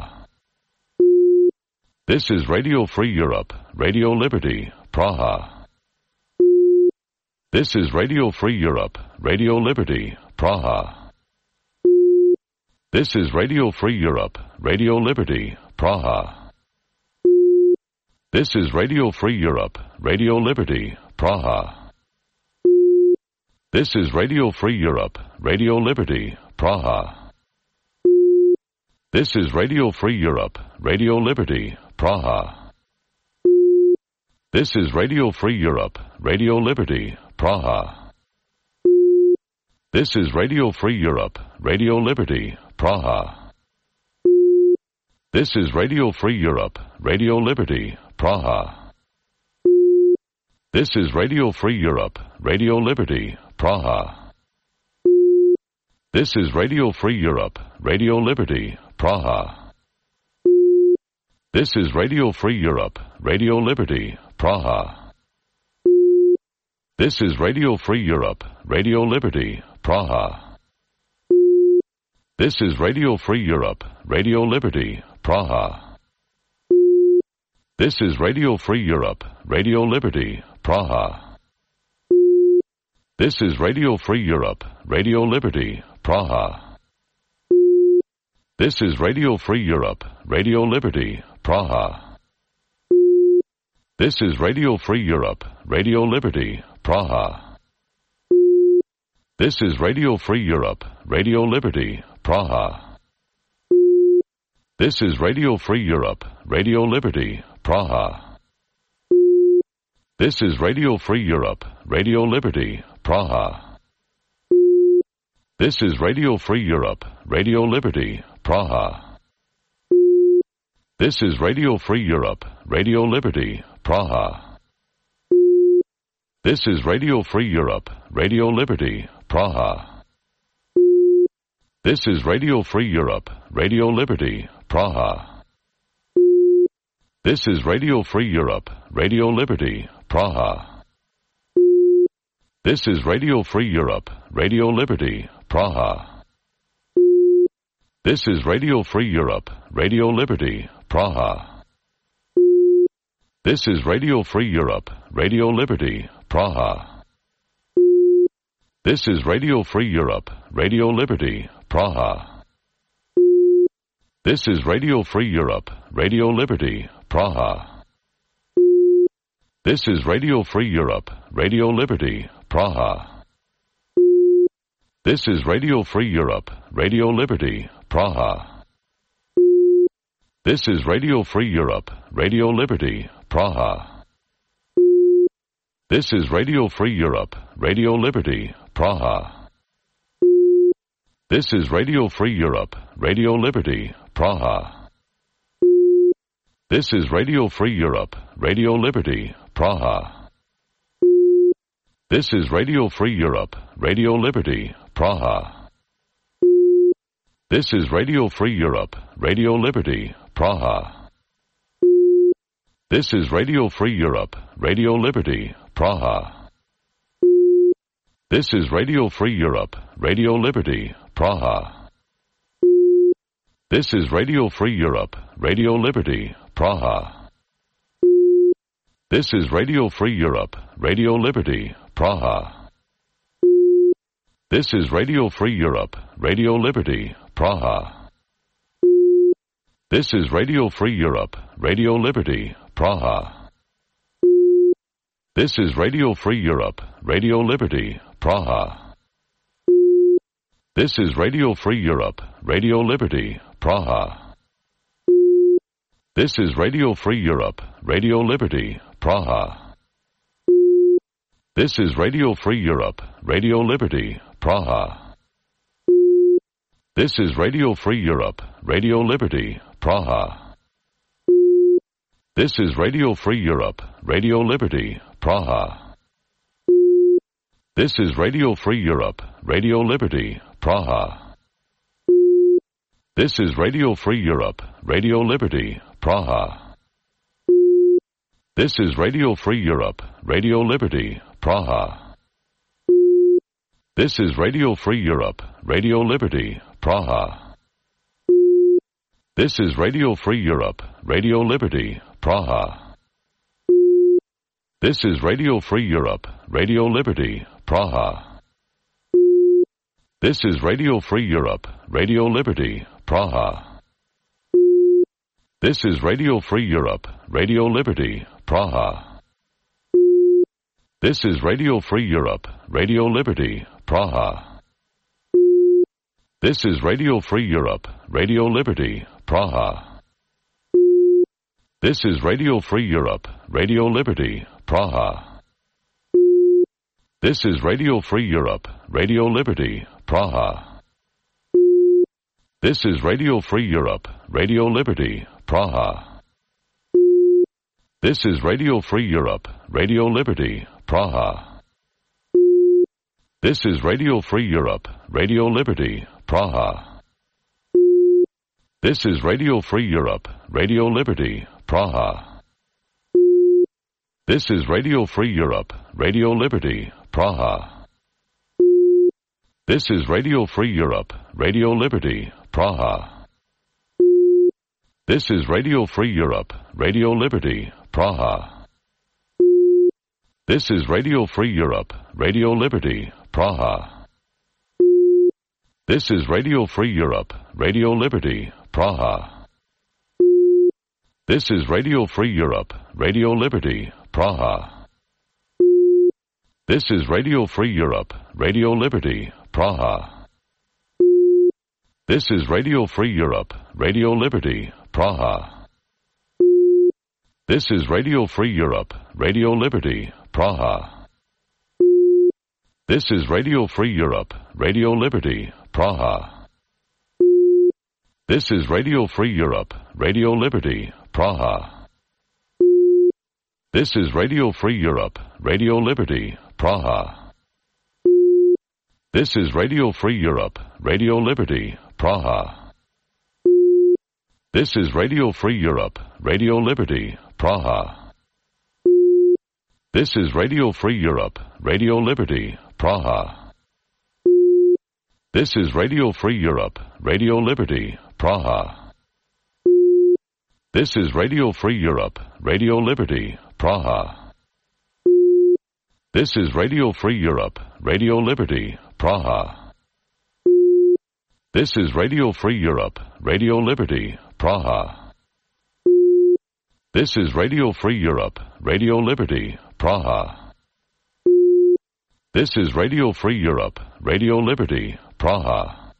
Praha. This is Radio Free Europe, Radio Liberty, Praha. This is Radio Free Europe, Radio Liberty, Praha. This is Radio Free Europe, Radio Liberty, Praha. This is Radio Free Europe, Radio Liberty, Praha. This is Radio Free Europe, Radio Liberty, Praha. This is Radio Free Europe, Radio Liberty, Praha. This is Radio Free Europe, Radio Liberty, Praha. This is Radio Free Europe, Radio Liberty, Praha. This is Radio Free Europe, Radio Liberty, Praha. This is Radio Free Europe, Radio Liberty, Praha. This is Radio Free Europe, Radio Liberty, Praha. This is Radio Free Europe, Radio Liberty, Praha. This is Radio Free Europe, Radio Liberty, Praha. This is Radio Free Europe, Radio Liberty, Praha. This is Radio Free Europe, Radio Liberty, Praha. This is Radio Free Europe, Radio Liberty, Praha. This is Radio Free Europe, Radio Liberty, Praha. This is Radio Free Europe, Radio Liberty, Praha. This is Radio Free Europe, Radio Liberty, Praha. This is Radio Free Europe, Radio Liberty, Praha. This is Radio Free Europe, Radio Liberty, Praha. This is Radio Free Europe, Radio Liberty, Praha. This is Radio Free Europe, Radio Liberty, Praha. This is Radio Free Europe, Radio Liberty, Praha. This is Radio Free Europe, Radio Liberty, Praha. This is Radio Free Europe, Radio Liberty, Praha. This is Radio Free Europe, Radio Liberty, Praha. This is Radio Free Europe, Radio Liberty, Praha. This is Radio Free Europe, Radio Liberty, Praha. This is Radio Free Europe, Radio Liberty, Praha. This is Radio Free Europe, Radio Liberty, Praha. This is Radio Free Europe, Radio Liberty, Praha. This is Radio Free Europe, Radio Liberty, Praha. This is Radio Free Europe, Radio Liberty, Praha. This is Radio Free Europe, Radio Liberty, Praha. This is Radio Free Europe, Radio Liberty, Praha. This is Radio Free Europe, Radio Liberty, Praha. This is Radio Free Europe, Radio Liberty, Praha. This is Radio Free Europe, Radio Liberty, Praha. This is Radio Free Europe, Radio Liberty, Praha. This is Radio Free Europe, Radio Liberty, Praha. This is Radio Free Europe, Radio Liberty, Praha. This is Radio Free Europe, Radio Liberty, Praha. This is Radio Free Europe, Radio Liberty, Praha. This is Radio Free Europe, Radio Liberty, Praha. This is Radio Free Europe, Radio Liberty, Praha. This is Radio Free Europe, Radio Liberty, Praha. This is Radio Free Europe, Radio Liberty, Praha. This is Radio Free Europe, Radio Liberty, Praha. This is Radio Free Europe, Radio Liberty, Praha. This is Radio Free Europe, Radio Liberty, Praha. This is Radio Free Europe, Radio Liberty, Praha. This is Radio Free Europe, Radio Liberty, Praha. This is Radio Free Europe, Radio Liberty, Praha. This is Radio Free Europe, Radio Liberty, Praha. This is Radio Free Europe, Radio Liberty, Praha. This is Radio Free Europe, Radio Liberty, Praha. This is Radio Free Europe, Radio Liberty, Praha. This is Radio Free Europe, Radio Liberty, Praha. This is Radio Free Europe, Radio Liberty, Praha. This is Radio Free Europe, Radio Liberty, Praha. This is Radio Free Europe, Radio Liberty, Praha. This is Radio Free Europe, Radio Liberty, Praha. This is Radio Free Europe, Radio Liberty, Praha. This is Radio Free Europe, Radio Liberty, Praha. This is Radio Free Europe, Radio Liberty, Praha. This is Radio Free Europe, Radio Liberty, Praha. This is Radio Free Europe, Radio Liberty, Praha. This is Radio Free Europe, Radio Liberty, Praha. This is Radio Free Europe, Radio Liberty, Praha. This is Radio Free Europe, Radio Liberty, Praha. This is Radio Free Europe, Radio Liberty, Praha. This is Radio Free Europe, Radio Liberty, Praha. This is Radio Free Europe, Radio Liberty, Praha. This is Radio Free Europe, Radio Liberty, Praha. This is Radio Free Europe, Radio Liberty, Praha. This is Radio Free Europe, Radio Liberty, Praha. This is Radio Free Europe, Radio Liberty, Praha. This is Radio Free Europe, Radio Liberty, Praha. This is Radio Free Europe, Radio Liberty, Praha. This is Radio Free Europe, Radio Liberty, Praha. This is Radio Free Europe, Radio Liberty, Praha. This is Radio Free Europe, Radio Liberty, Praha. This is Radio Free Europe, Radio Liberty, Praha. This is Radio Free Europe, Radio Liberty, Praha. This is Radio Free Europe, Radio Liberty, Praha. This is Radio Free Europe, Radio Liberty, Praha. This is Radio Free Europe, Radio Liberty, Praha.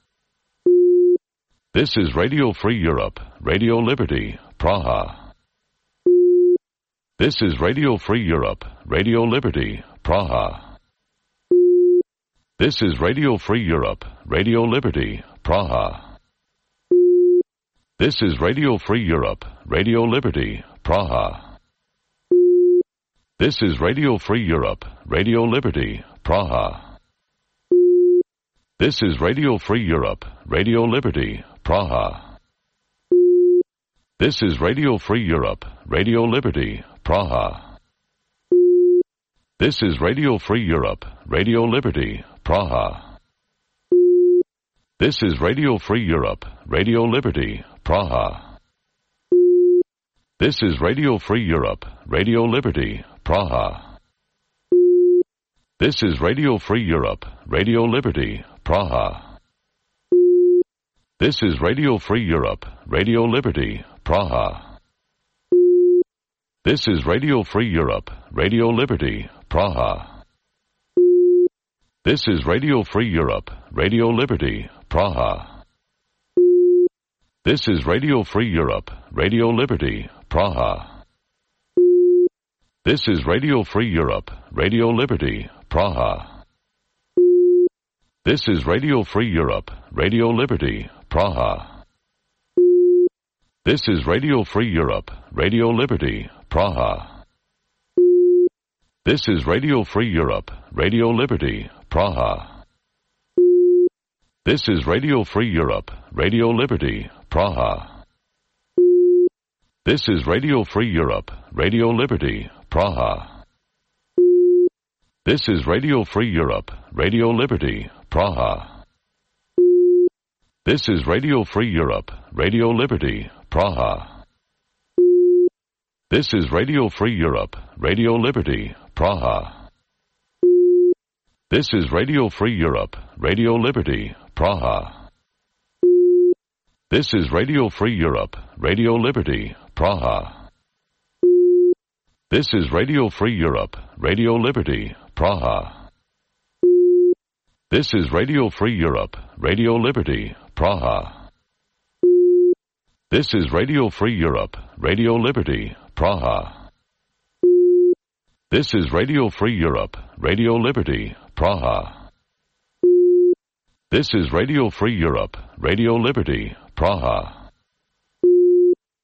This is Radio Free Europe, Radio Liberty, Praha. This is Radio Free Europe, Radio Liberty, Praha. This is Radio Free Europe, Radio Liberty, Praha. This is Radio Free Europe, Radio Liberty, Praha. This is Radio Free Europe, Radio Liberty, Praha. This is Radio Free Europe, Radio Liberty, Praha. This is Radio Free Europe, Radio Liberty, Praha. This is Radio Free Europe, Radio Liberty, Praha. This is Radio Free Europe, Radio Liberty, Praha. This is Radio Free Europe, Radio Liberty, Praha. This is Radio Free Europe, Radio Liberty, Praha. This is Radio Free Europe, Radio Liberty, Praha. This is Radio Free Europe, Radio Liberty, Praha. This is Radio Free Europe, Radio Liberty, Praha. This is Radio Free Europe, Radio Liberty, Praha. This is Radio Free Europe, Radio Liberty, Praha. This is Radio Free Europe, Radio Liberty, Praha. This is Radio Free Europe, Radio Liberty, Praha. This is Radio Free Europe, Radio Liberty, Praha. This is Radio Free Europe, Radio Liberty, Praha. This is Radio Free Europe, Radio Liberty, Praha. This is Radio Free Europe, Radio Liberty, Praha. This is Radio Free Europe, Radio Liberty, Praha. This is Radio Free Europe, Radio Liberty, Praha. This is Radio Free Europe, Radio Liberty, Praha. This is Radio Free Europe, Radio Liberty, Praha. This is Radio Free Europe, Radio Liberty, Praha. This is Radio Free Europe, Radio Liberty, Praha. This is Radio Free Europe, Radio Liberty, Praha. This is Radio Free Europe, Radio Liberty, Praha. This is Radio Free Europe, Radio Liberty, Praha.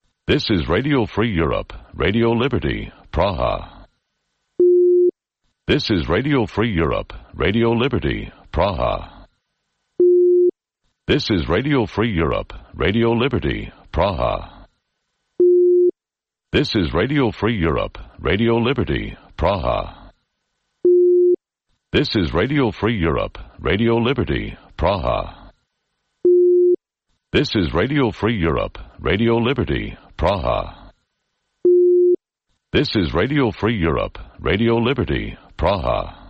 This is Radio Free Europe, Radio Liberty, Praha. This is Radio Free Europe, Radio Liberty, Praha. This is Radio Free Europe, Radio Liberty, Praha. This is Radio Free Europe, Radio Liberty, Praha. This is Radio Free Europe, Radio Liberty, Praha. This is Radio Free Europe, Radio Liberty, Praha. This is Radio Free Europe, Radio Liberty, Praha.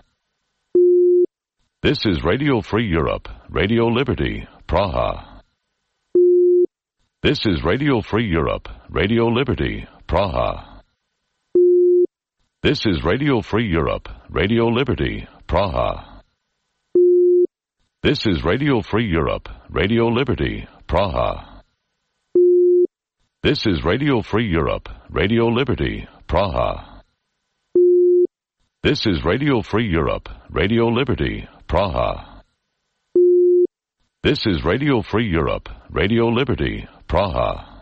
This is Radio Free Europe, Radio Liberty, Praha. This is Radio Free Europe, Radio Liberty, Praha. This is Radio Free Europe, Radio Liberty, Praha. This is Radio Free Europe, Radio Liberty, Praha. This is Radio Free Europe, Radio Liberty, Praha. This is Radio Free Europe, Radio Liberty, Praha. This is Radio Free Europe, Radio Liberty, Praha.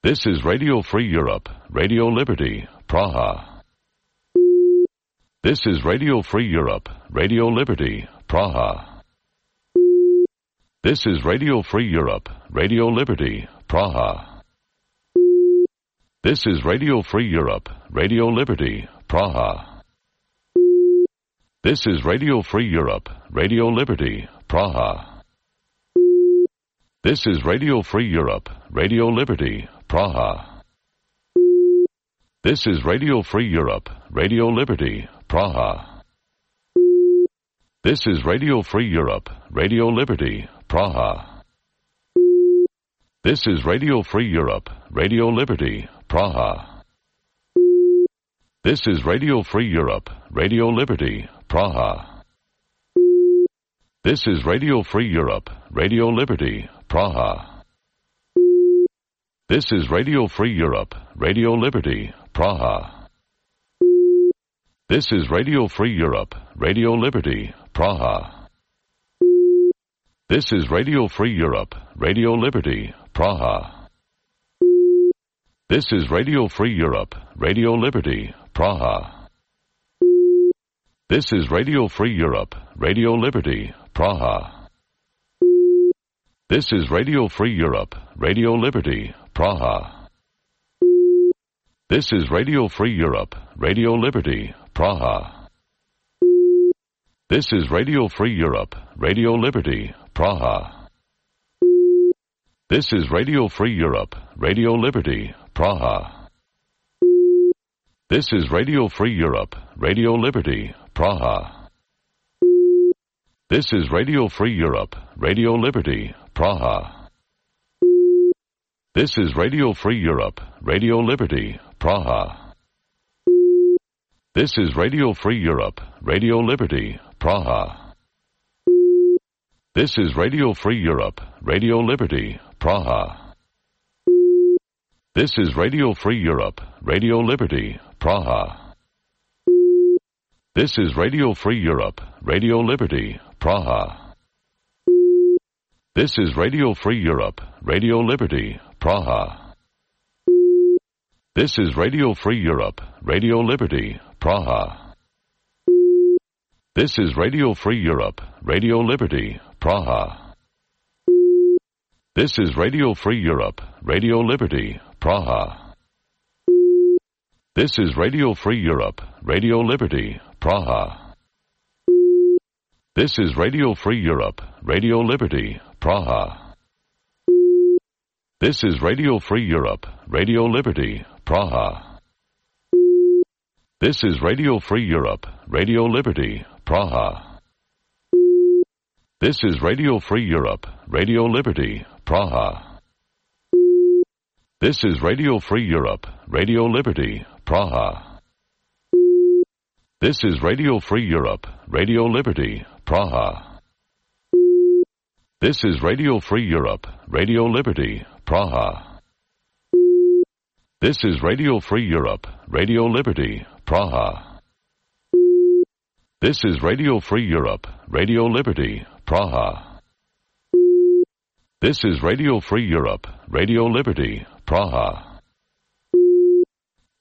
This is Radio Free Europe, Radio Liberty, Praha. This is Radio Free Europe, Radio Liberty, Praha. This is Radio Free Europe, Radio Liberty, Praha. This is Radio Free Europe, Radio Liberty, Praha. This is Radio Free Europe, Radio Liberty, Praha. This is Radio Free Europe, Radio Liberty, Praha. This is Radio Free Europe, Radio Liberty, Praha. This is Radio Free Europe, Radio Liberty, Praha. This is Radio Free Europe, Radio Liberty, Praha. This is Radio Free Europe, Radio Liberty, Praha. This is Radio Free Europe, Radio Liberty, Praha. This is Radio Free Europe, Radio Liberty, Praha. This is Radio Free Europe, Radio Liberty, Praha. This is Radio Free Europe, Radio Liberty, Praha. This is Radio Free Europe, Radio Liberty, Praha. This is Radio Free Europe, Radio Liberty, Praha. This is Radio Free Europe, Radio Liberty, Praha. This is Radio Free Europe, Radio Liberty, Praha. This is Radio Free Europe, Radio Liberty, Praha. This is Radio Free Europe, Radio Liberty, Praha. This is Radio Free Europe, Radio Liberty, Praha. This is Radio Free Europe, Radio Liberty, Praha. This is Radio Free Europe, Radio Liberty, Praha. This is Radio Free Europe, Radio Liberty, Praha. This is Radio Free Europe, Radio Liberty, Praha. This is Radio Free Europe, Radio Liberty, Praha. This is Radio Free Europe, Radio Liberty, Praha. This is Radio Free Europe, Radio Liberty, Praha. This is Radio Free Europe, Radio Liberty, Praha. This is Radio Free Europe, Radio Liberty, Praha. This is Radio Free Europe, Radio Liberty, Praha. This is Radio Free Europe, Radio Liberty, Praha. This is Radio Free Europe, Radio Liberty, Praha. This is Radio Free Europe, Radio Liberty, Praha. This is Radio Free Europe, Radio Liberty, Praha. This is Radio Free Europe, Radio Liberty, Praha. This is Radio Free Europe, Radio Liberty, Praha. This is Radio Free Europe, Radio Liberty, Praha. This is Radio Free Europe, Radio Liberty, Praha. This is Radio Free Europe, Radio Liberty, Praha. This is Radio Free Europe, Radio Liberty, Praha. This is Radio Free Europe, Radio Liberty, Praha.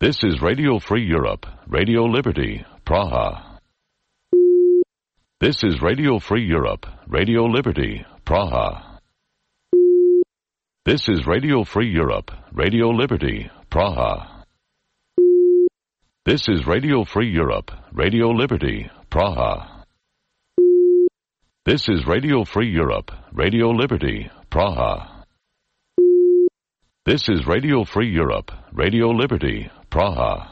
This is Radio Free Europe, Radio Liberty, Praha. This is Radio Free Europe, Radio Liberty, Praha. This is Radio Free Europe, Radio Liberty, Praha. This is Radio Free Europe, Radio Liberty, Praha. This is Radio Free Europe, Radio Liberty, Praha. This is Radio Free Europe, Radio Liberty, Praha.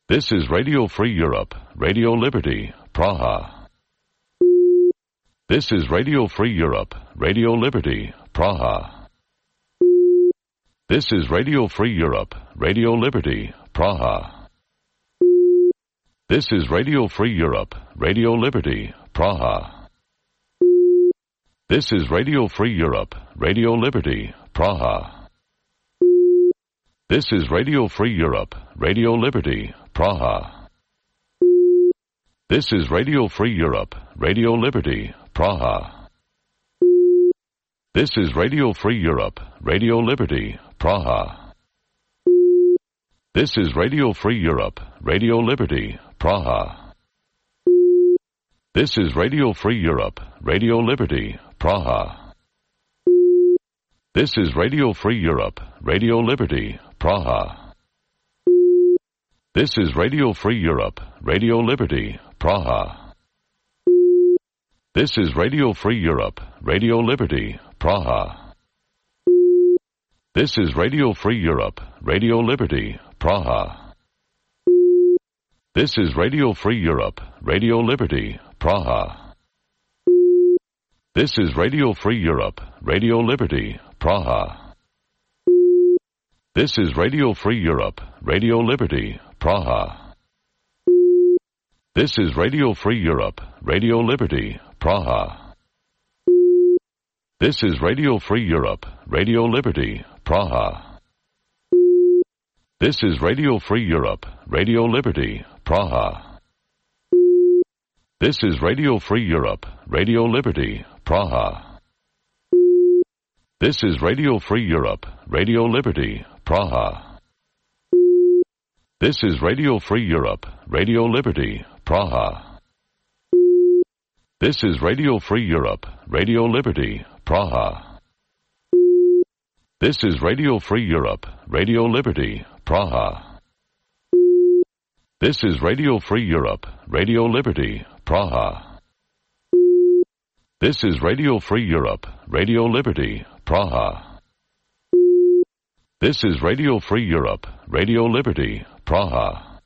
This is Radio Free Europe, Radio Liberty, Praha. This is Radio Free Europe, Radio Liberty, Praha. This is Radio Free Europe, Radio Liberty, Praha. This is Radio Free Europe, Radio Liberty, Praha. This is Radio Free Europe, Radio Liberty, Praha. This is Radio Free Europe, Radio Liberty, Praha. This is Radio Free Europe, Radio Liberty, Praha. This is Radio Free Europe, Radio Liberty, Praha. This is Radio Free Europe, Radio Liberty, Praha. This is Radio Free Europe, Radio Liberty, Praha. This is Radio Free Europe, Radio Liberty, Praha. This is Radio Free Europe, Radio Liberty, Praha. This is Radio Free Europe, Radio Liberty, Praha. This is Radio Free Europe, Radio Liberty, Praha. This is Radio Free Europe, Radio Liberty, Praha. This is Radio Free Europe, Radio Liberty, Praha. This is Radio Free Europe, Radio Liberty, Praha. This is Radio Free Europe, Radio Liberty, Praha. This is Radio Free Europe, Radio Liberty, Praha. This is Radio Free Europe, Radio Liberty, Praha. This is Radio Free Europe, Radio Liberty, Praha. This is Radio Free Europe, Radio Liberty, Praha. This is Radio Free Europe, Radio Liberty, Praha. This is Radio Free Europe, Radio Liberty, Praha. This is Radio Free Europe, Radio Liberty, Praha. This is Radio Free Europe, Radio Liberty, Praha. This is Radio Free Europe, Radio Liberty, Praha. This is Radio Free Europe, Radio Liberty, Praha.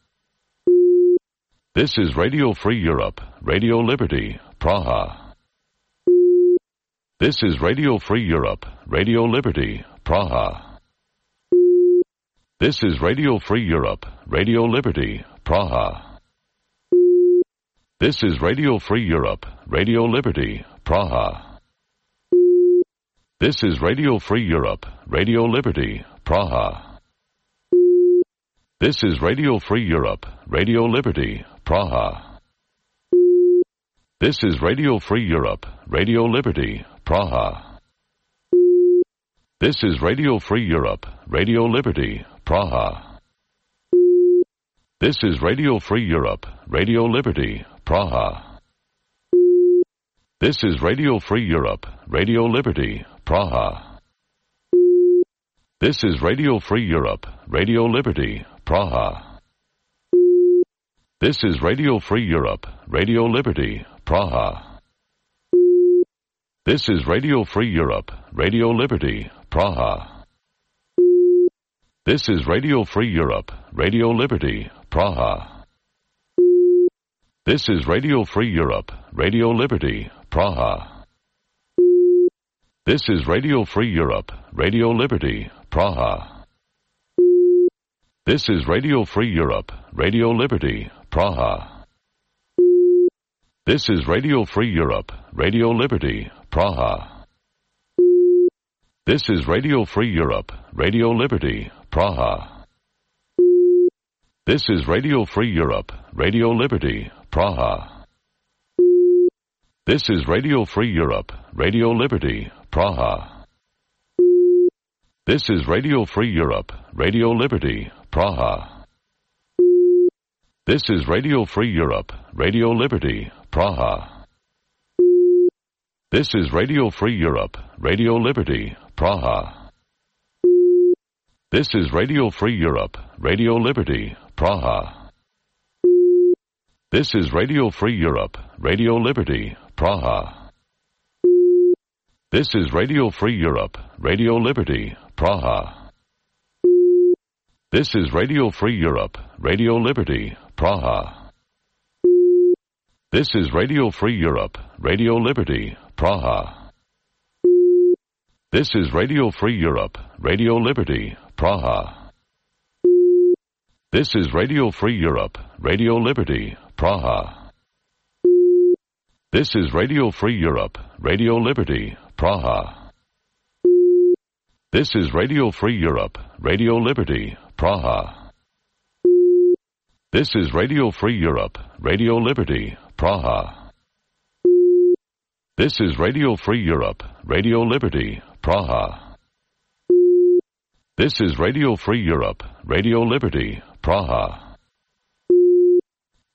This is Radio Free Europe, Radio Liberty, Praha. This is Radio Free Europe, Radio Liberty, Praha. This is Radio Free Europe, Radio Liberty, Praha. This is Radio Free Europe, Radio Liberty, Praha. This is Radio Free Europe, Radio Liberty, Praha. This is Radio Free Europe, Radio Liberty, Praha. This is Radio Free Europe, Radio Liberty, Praha. This is Radio Free Europe, Radio Liberty, Praha. This is Radio Free Europe, Radio Liberty, Praha. This is Radio Free Europe, Radio Liberty, Praha. This is Radio Free Europe, Radio Liberty, Praha. This is Radio Free Europe, Radio Liberty, Praha. This is Radio Free Europe, Radio Liberty, Praha. This is Radio Free Europe, Radio Liberty, Praha. This is Radio Free Europe, Radio Liberty, Praha. This is Radio Free Europe, Radio Liberty, Praha. This is Radio Free Europe, Radio Liberty, Praha. This is Radio Free Europe, Radio Liberty, Praha. This is Radio Free Europe, Radio Liberty, Praha. This is Radio Free Europe, Radio Liberty, Praha. This is Radio Free Europe, Radio Liberty, Praha. This is Radio Free Europe, Radio Liberty, Praha. This is Radio Free Europe, Radio Liberty, Praha. This is Radio Free Europe, Radio Liberty, Praha. This is Radio Free Europe, Radio Liberty, Praha. This is Radio Free Europe, Radio Liberty, Praha. This is Radio Free Europe, Radio Liberty, Praha. This is Radio Free Europe, Radio Liberty, Praha. This is Radio Free Europe, Radio Liberty, Praha. This is Radio Free Europe, Radio Liberty, Praha. This is Radio Free Europe, Radio Liberty, Praha. This is Radio Free Europe, Radio Liberty, Praha. This is Radio Free Europe, Radio Liberty, Praha. This is Radio Free Europe, Radio Liberty, Praha. This is Radio Free Europe, Radio Liberty, Praha.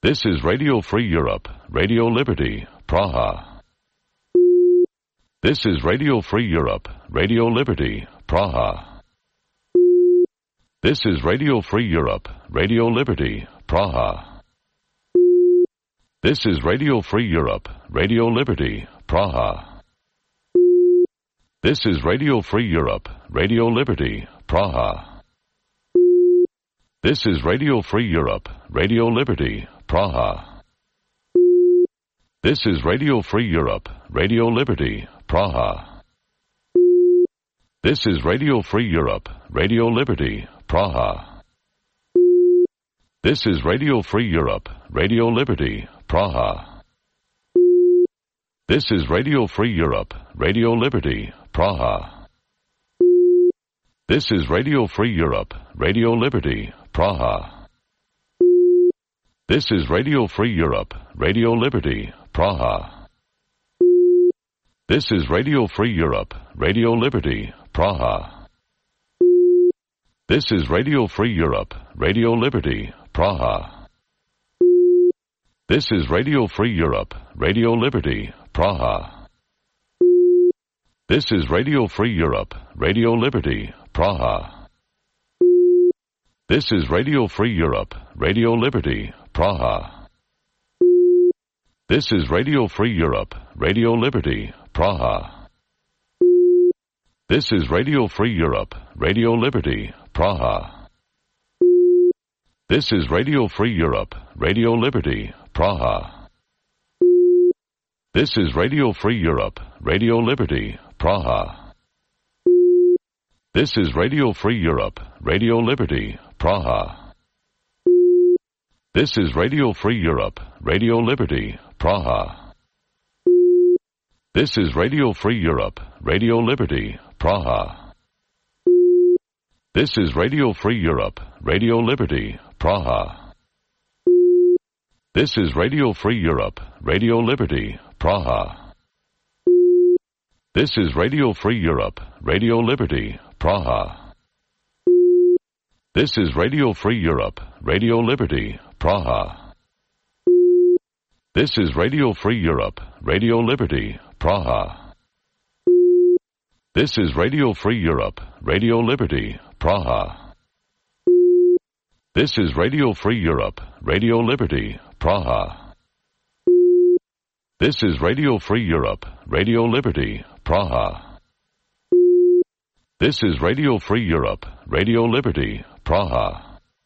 This is Radio Free Europe, Radio Liberty, Praha. This is Radio Free Europe, Radio Liberty, Praha. This is Radio Free Europe, Radio Liberty, Praha. This is Radio Free Europe, Radio Liberty, Praha. This is Radio Free Europe, Radio Liberty, Praha. This is Radio Free Europe, Radio Liberty, Praha. This is Radio Free Europe, Radio Liberty, Praha. This is Radio Free Europe, Radio Liberty, Praha. This is Radio Free Europe, Radio Liberty, Praha. This is Radio Free Europe, Radio Liberty, Praha. This is Radio Free Europe, Radio Liberty, Praha. This is Radio Free Europe, Radio Liberty, Praha. This is Radio Free Europe, Radio Liberty, Praha. This is Radio Free Europe, Radio Liberty, Praha. This is Radio Free Europe, Radio Liberty, Praha. This is Radio Free Europe, Radio Liberty, Praha. This is Radio Free Europe, Radio Liberty, Praha. This is Radio Free Europe, Radio Liberty, Praha. This is Radio Free Europe, Radio Liberty, Praha. This is Radio Free Europe, Radio Liberty, Praha. This is Radio Free Europe, Radio Liberty, Praha. This is Radio Free Europe, Radio Liberty, Praha. This is Radio Free Europe, Radio Liberty, Praha. This is Radio Free Europe, Radio Liberty, Praha. This is Radio Free Europe, Radio Liberty, Praha. This is Radio Free Europe, Radio Liberty, Praha. This is Radio Free Europe, Radio Liberty, Praha. This is Radio Free Europe, Radio Liberty, Praha. This is Radio Free Europe, Radio Liberty, Praha. This is Radio Free Europe, Radio Liberty, Praha. This is Radio Free Europe, Radio Liberty, Praha. This is Radio Free Europe, Radio Liberty, Praha. This is Radio Free Europe, Radio Liberty, Praha. This is Radio Free Europe, Radio Liberty, Praha.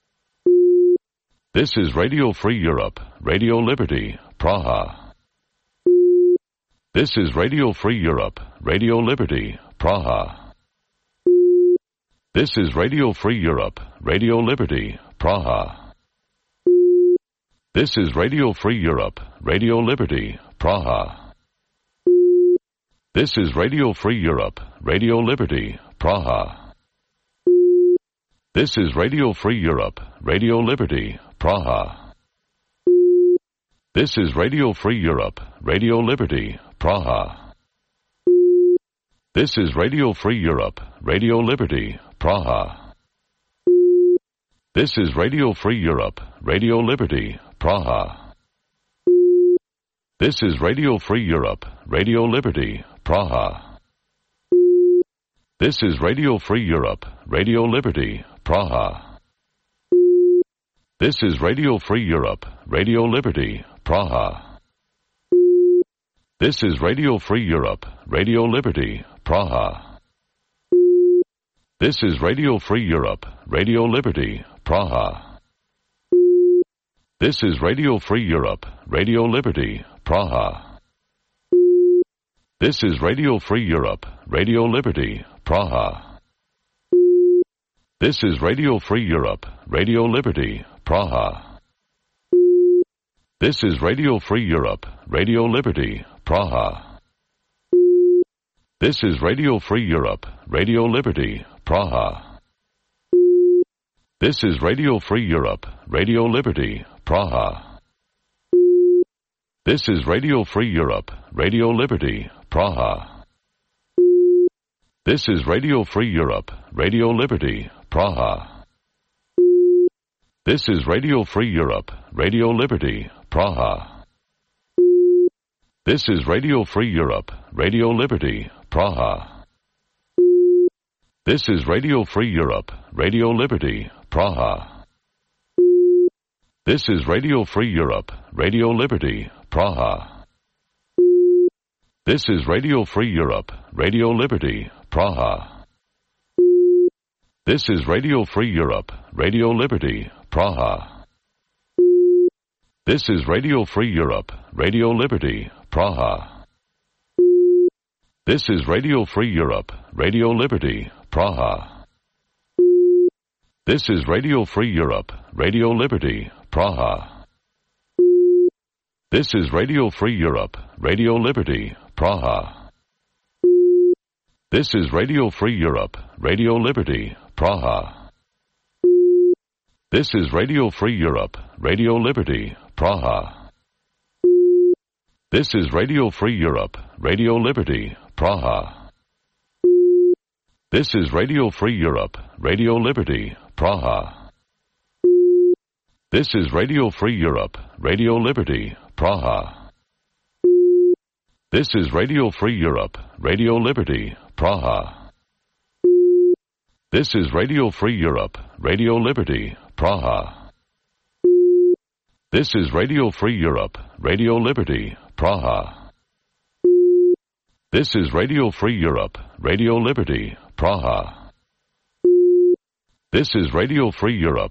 This is Radio Free Europe, Radio Liberty, Praha. This is Radio Free Europe, Radio Liberty, Praha. This is Radio Free Europe, Radio Liberty, Praha. This is Radio Free Europe, Radio Liberty, Praha. This is Radio Free Europe, Radio Liberty, Praha. This is Radio Free Europe, Radio Liberty, Praha. This is Radio Free Europe, Radio Liberty, Praha. This is Radio Free Europe, Radio Liberty, Praha. This is Radio Free Europe, Radio Liberty, Praha. This is Radio Free Europe, Radio Liberty, Praha. This is Radio Free Europe, Radio Liberty, Praha. This is Radio Free Europe, Radio Liberty, Praha. This is Radio Free Europe, Radio Liberty, Praha. This is Radio Free Europe, Radio Liberty, Praha. This is Radio Free Europe, Radio Liberty, Praha. This is Radio Free Europe, Radio Liberty, Praha. This is Radio Free Europe, Radio Liberty, Praha. This is Radio Free Europe, Radio Liberty, Praha. This is Radio Free Europe, Radio Liberty, Praha. This is Radio Free Europe, Radio Liberty, Praha. This is Radio Free Europe, Radio Liberty, Praha. This is Radio Free Europe, Radio Liberty, Praha. This is Radio Free Europe, Radio Liberty, Praha. This is Radio Free Europe, Radio Liberty, Praha. This is Radio Free Europe, Radio Liberty, Praha. This is Radio Free Europe, Radio Liberty, Praha. This is Radio Free Europe, Radio Liberty, Praha. This is Radio Free Europe, Radio Liberty, Praha. This is Radio Free Europe, Radio Liberty, Praha. This is Radio Free Europe, Radio Liberty, Praha. This is Radio Free Europe, Radio Liberty, Praha. This is Radio Free Europe, Radio Liberty, Praha. This is Radio Free Europe, Radio Liberty, Praha. This is Radio Free Europe, Radio Liberty, Praha. This is Radio Free Europe, Radio Liberty, Praha. This is Radio Free Europe, Radio Liberty, Praha. This is Radio Free Europe, Radio Liberty, Praha. This is Radio Free Europe, Radio Liberty, Praha. This is Radio Free Europe, Radio Liberty, Praha. This is Radio Free Europe, Radio Liberty, Praha. This is Radio Free Europe, Radio Liberty, Praha. This is Radio Free Europe,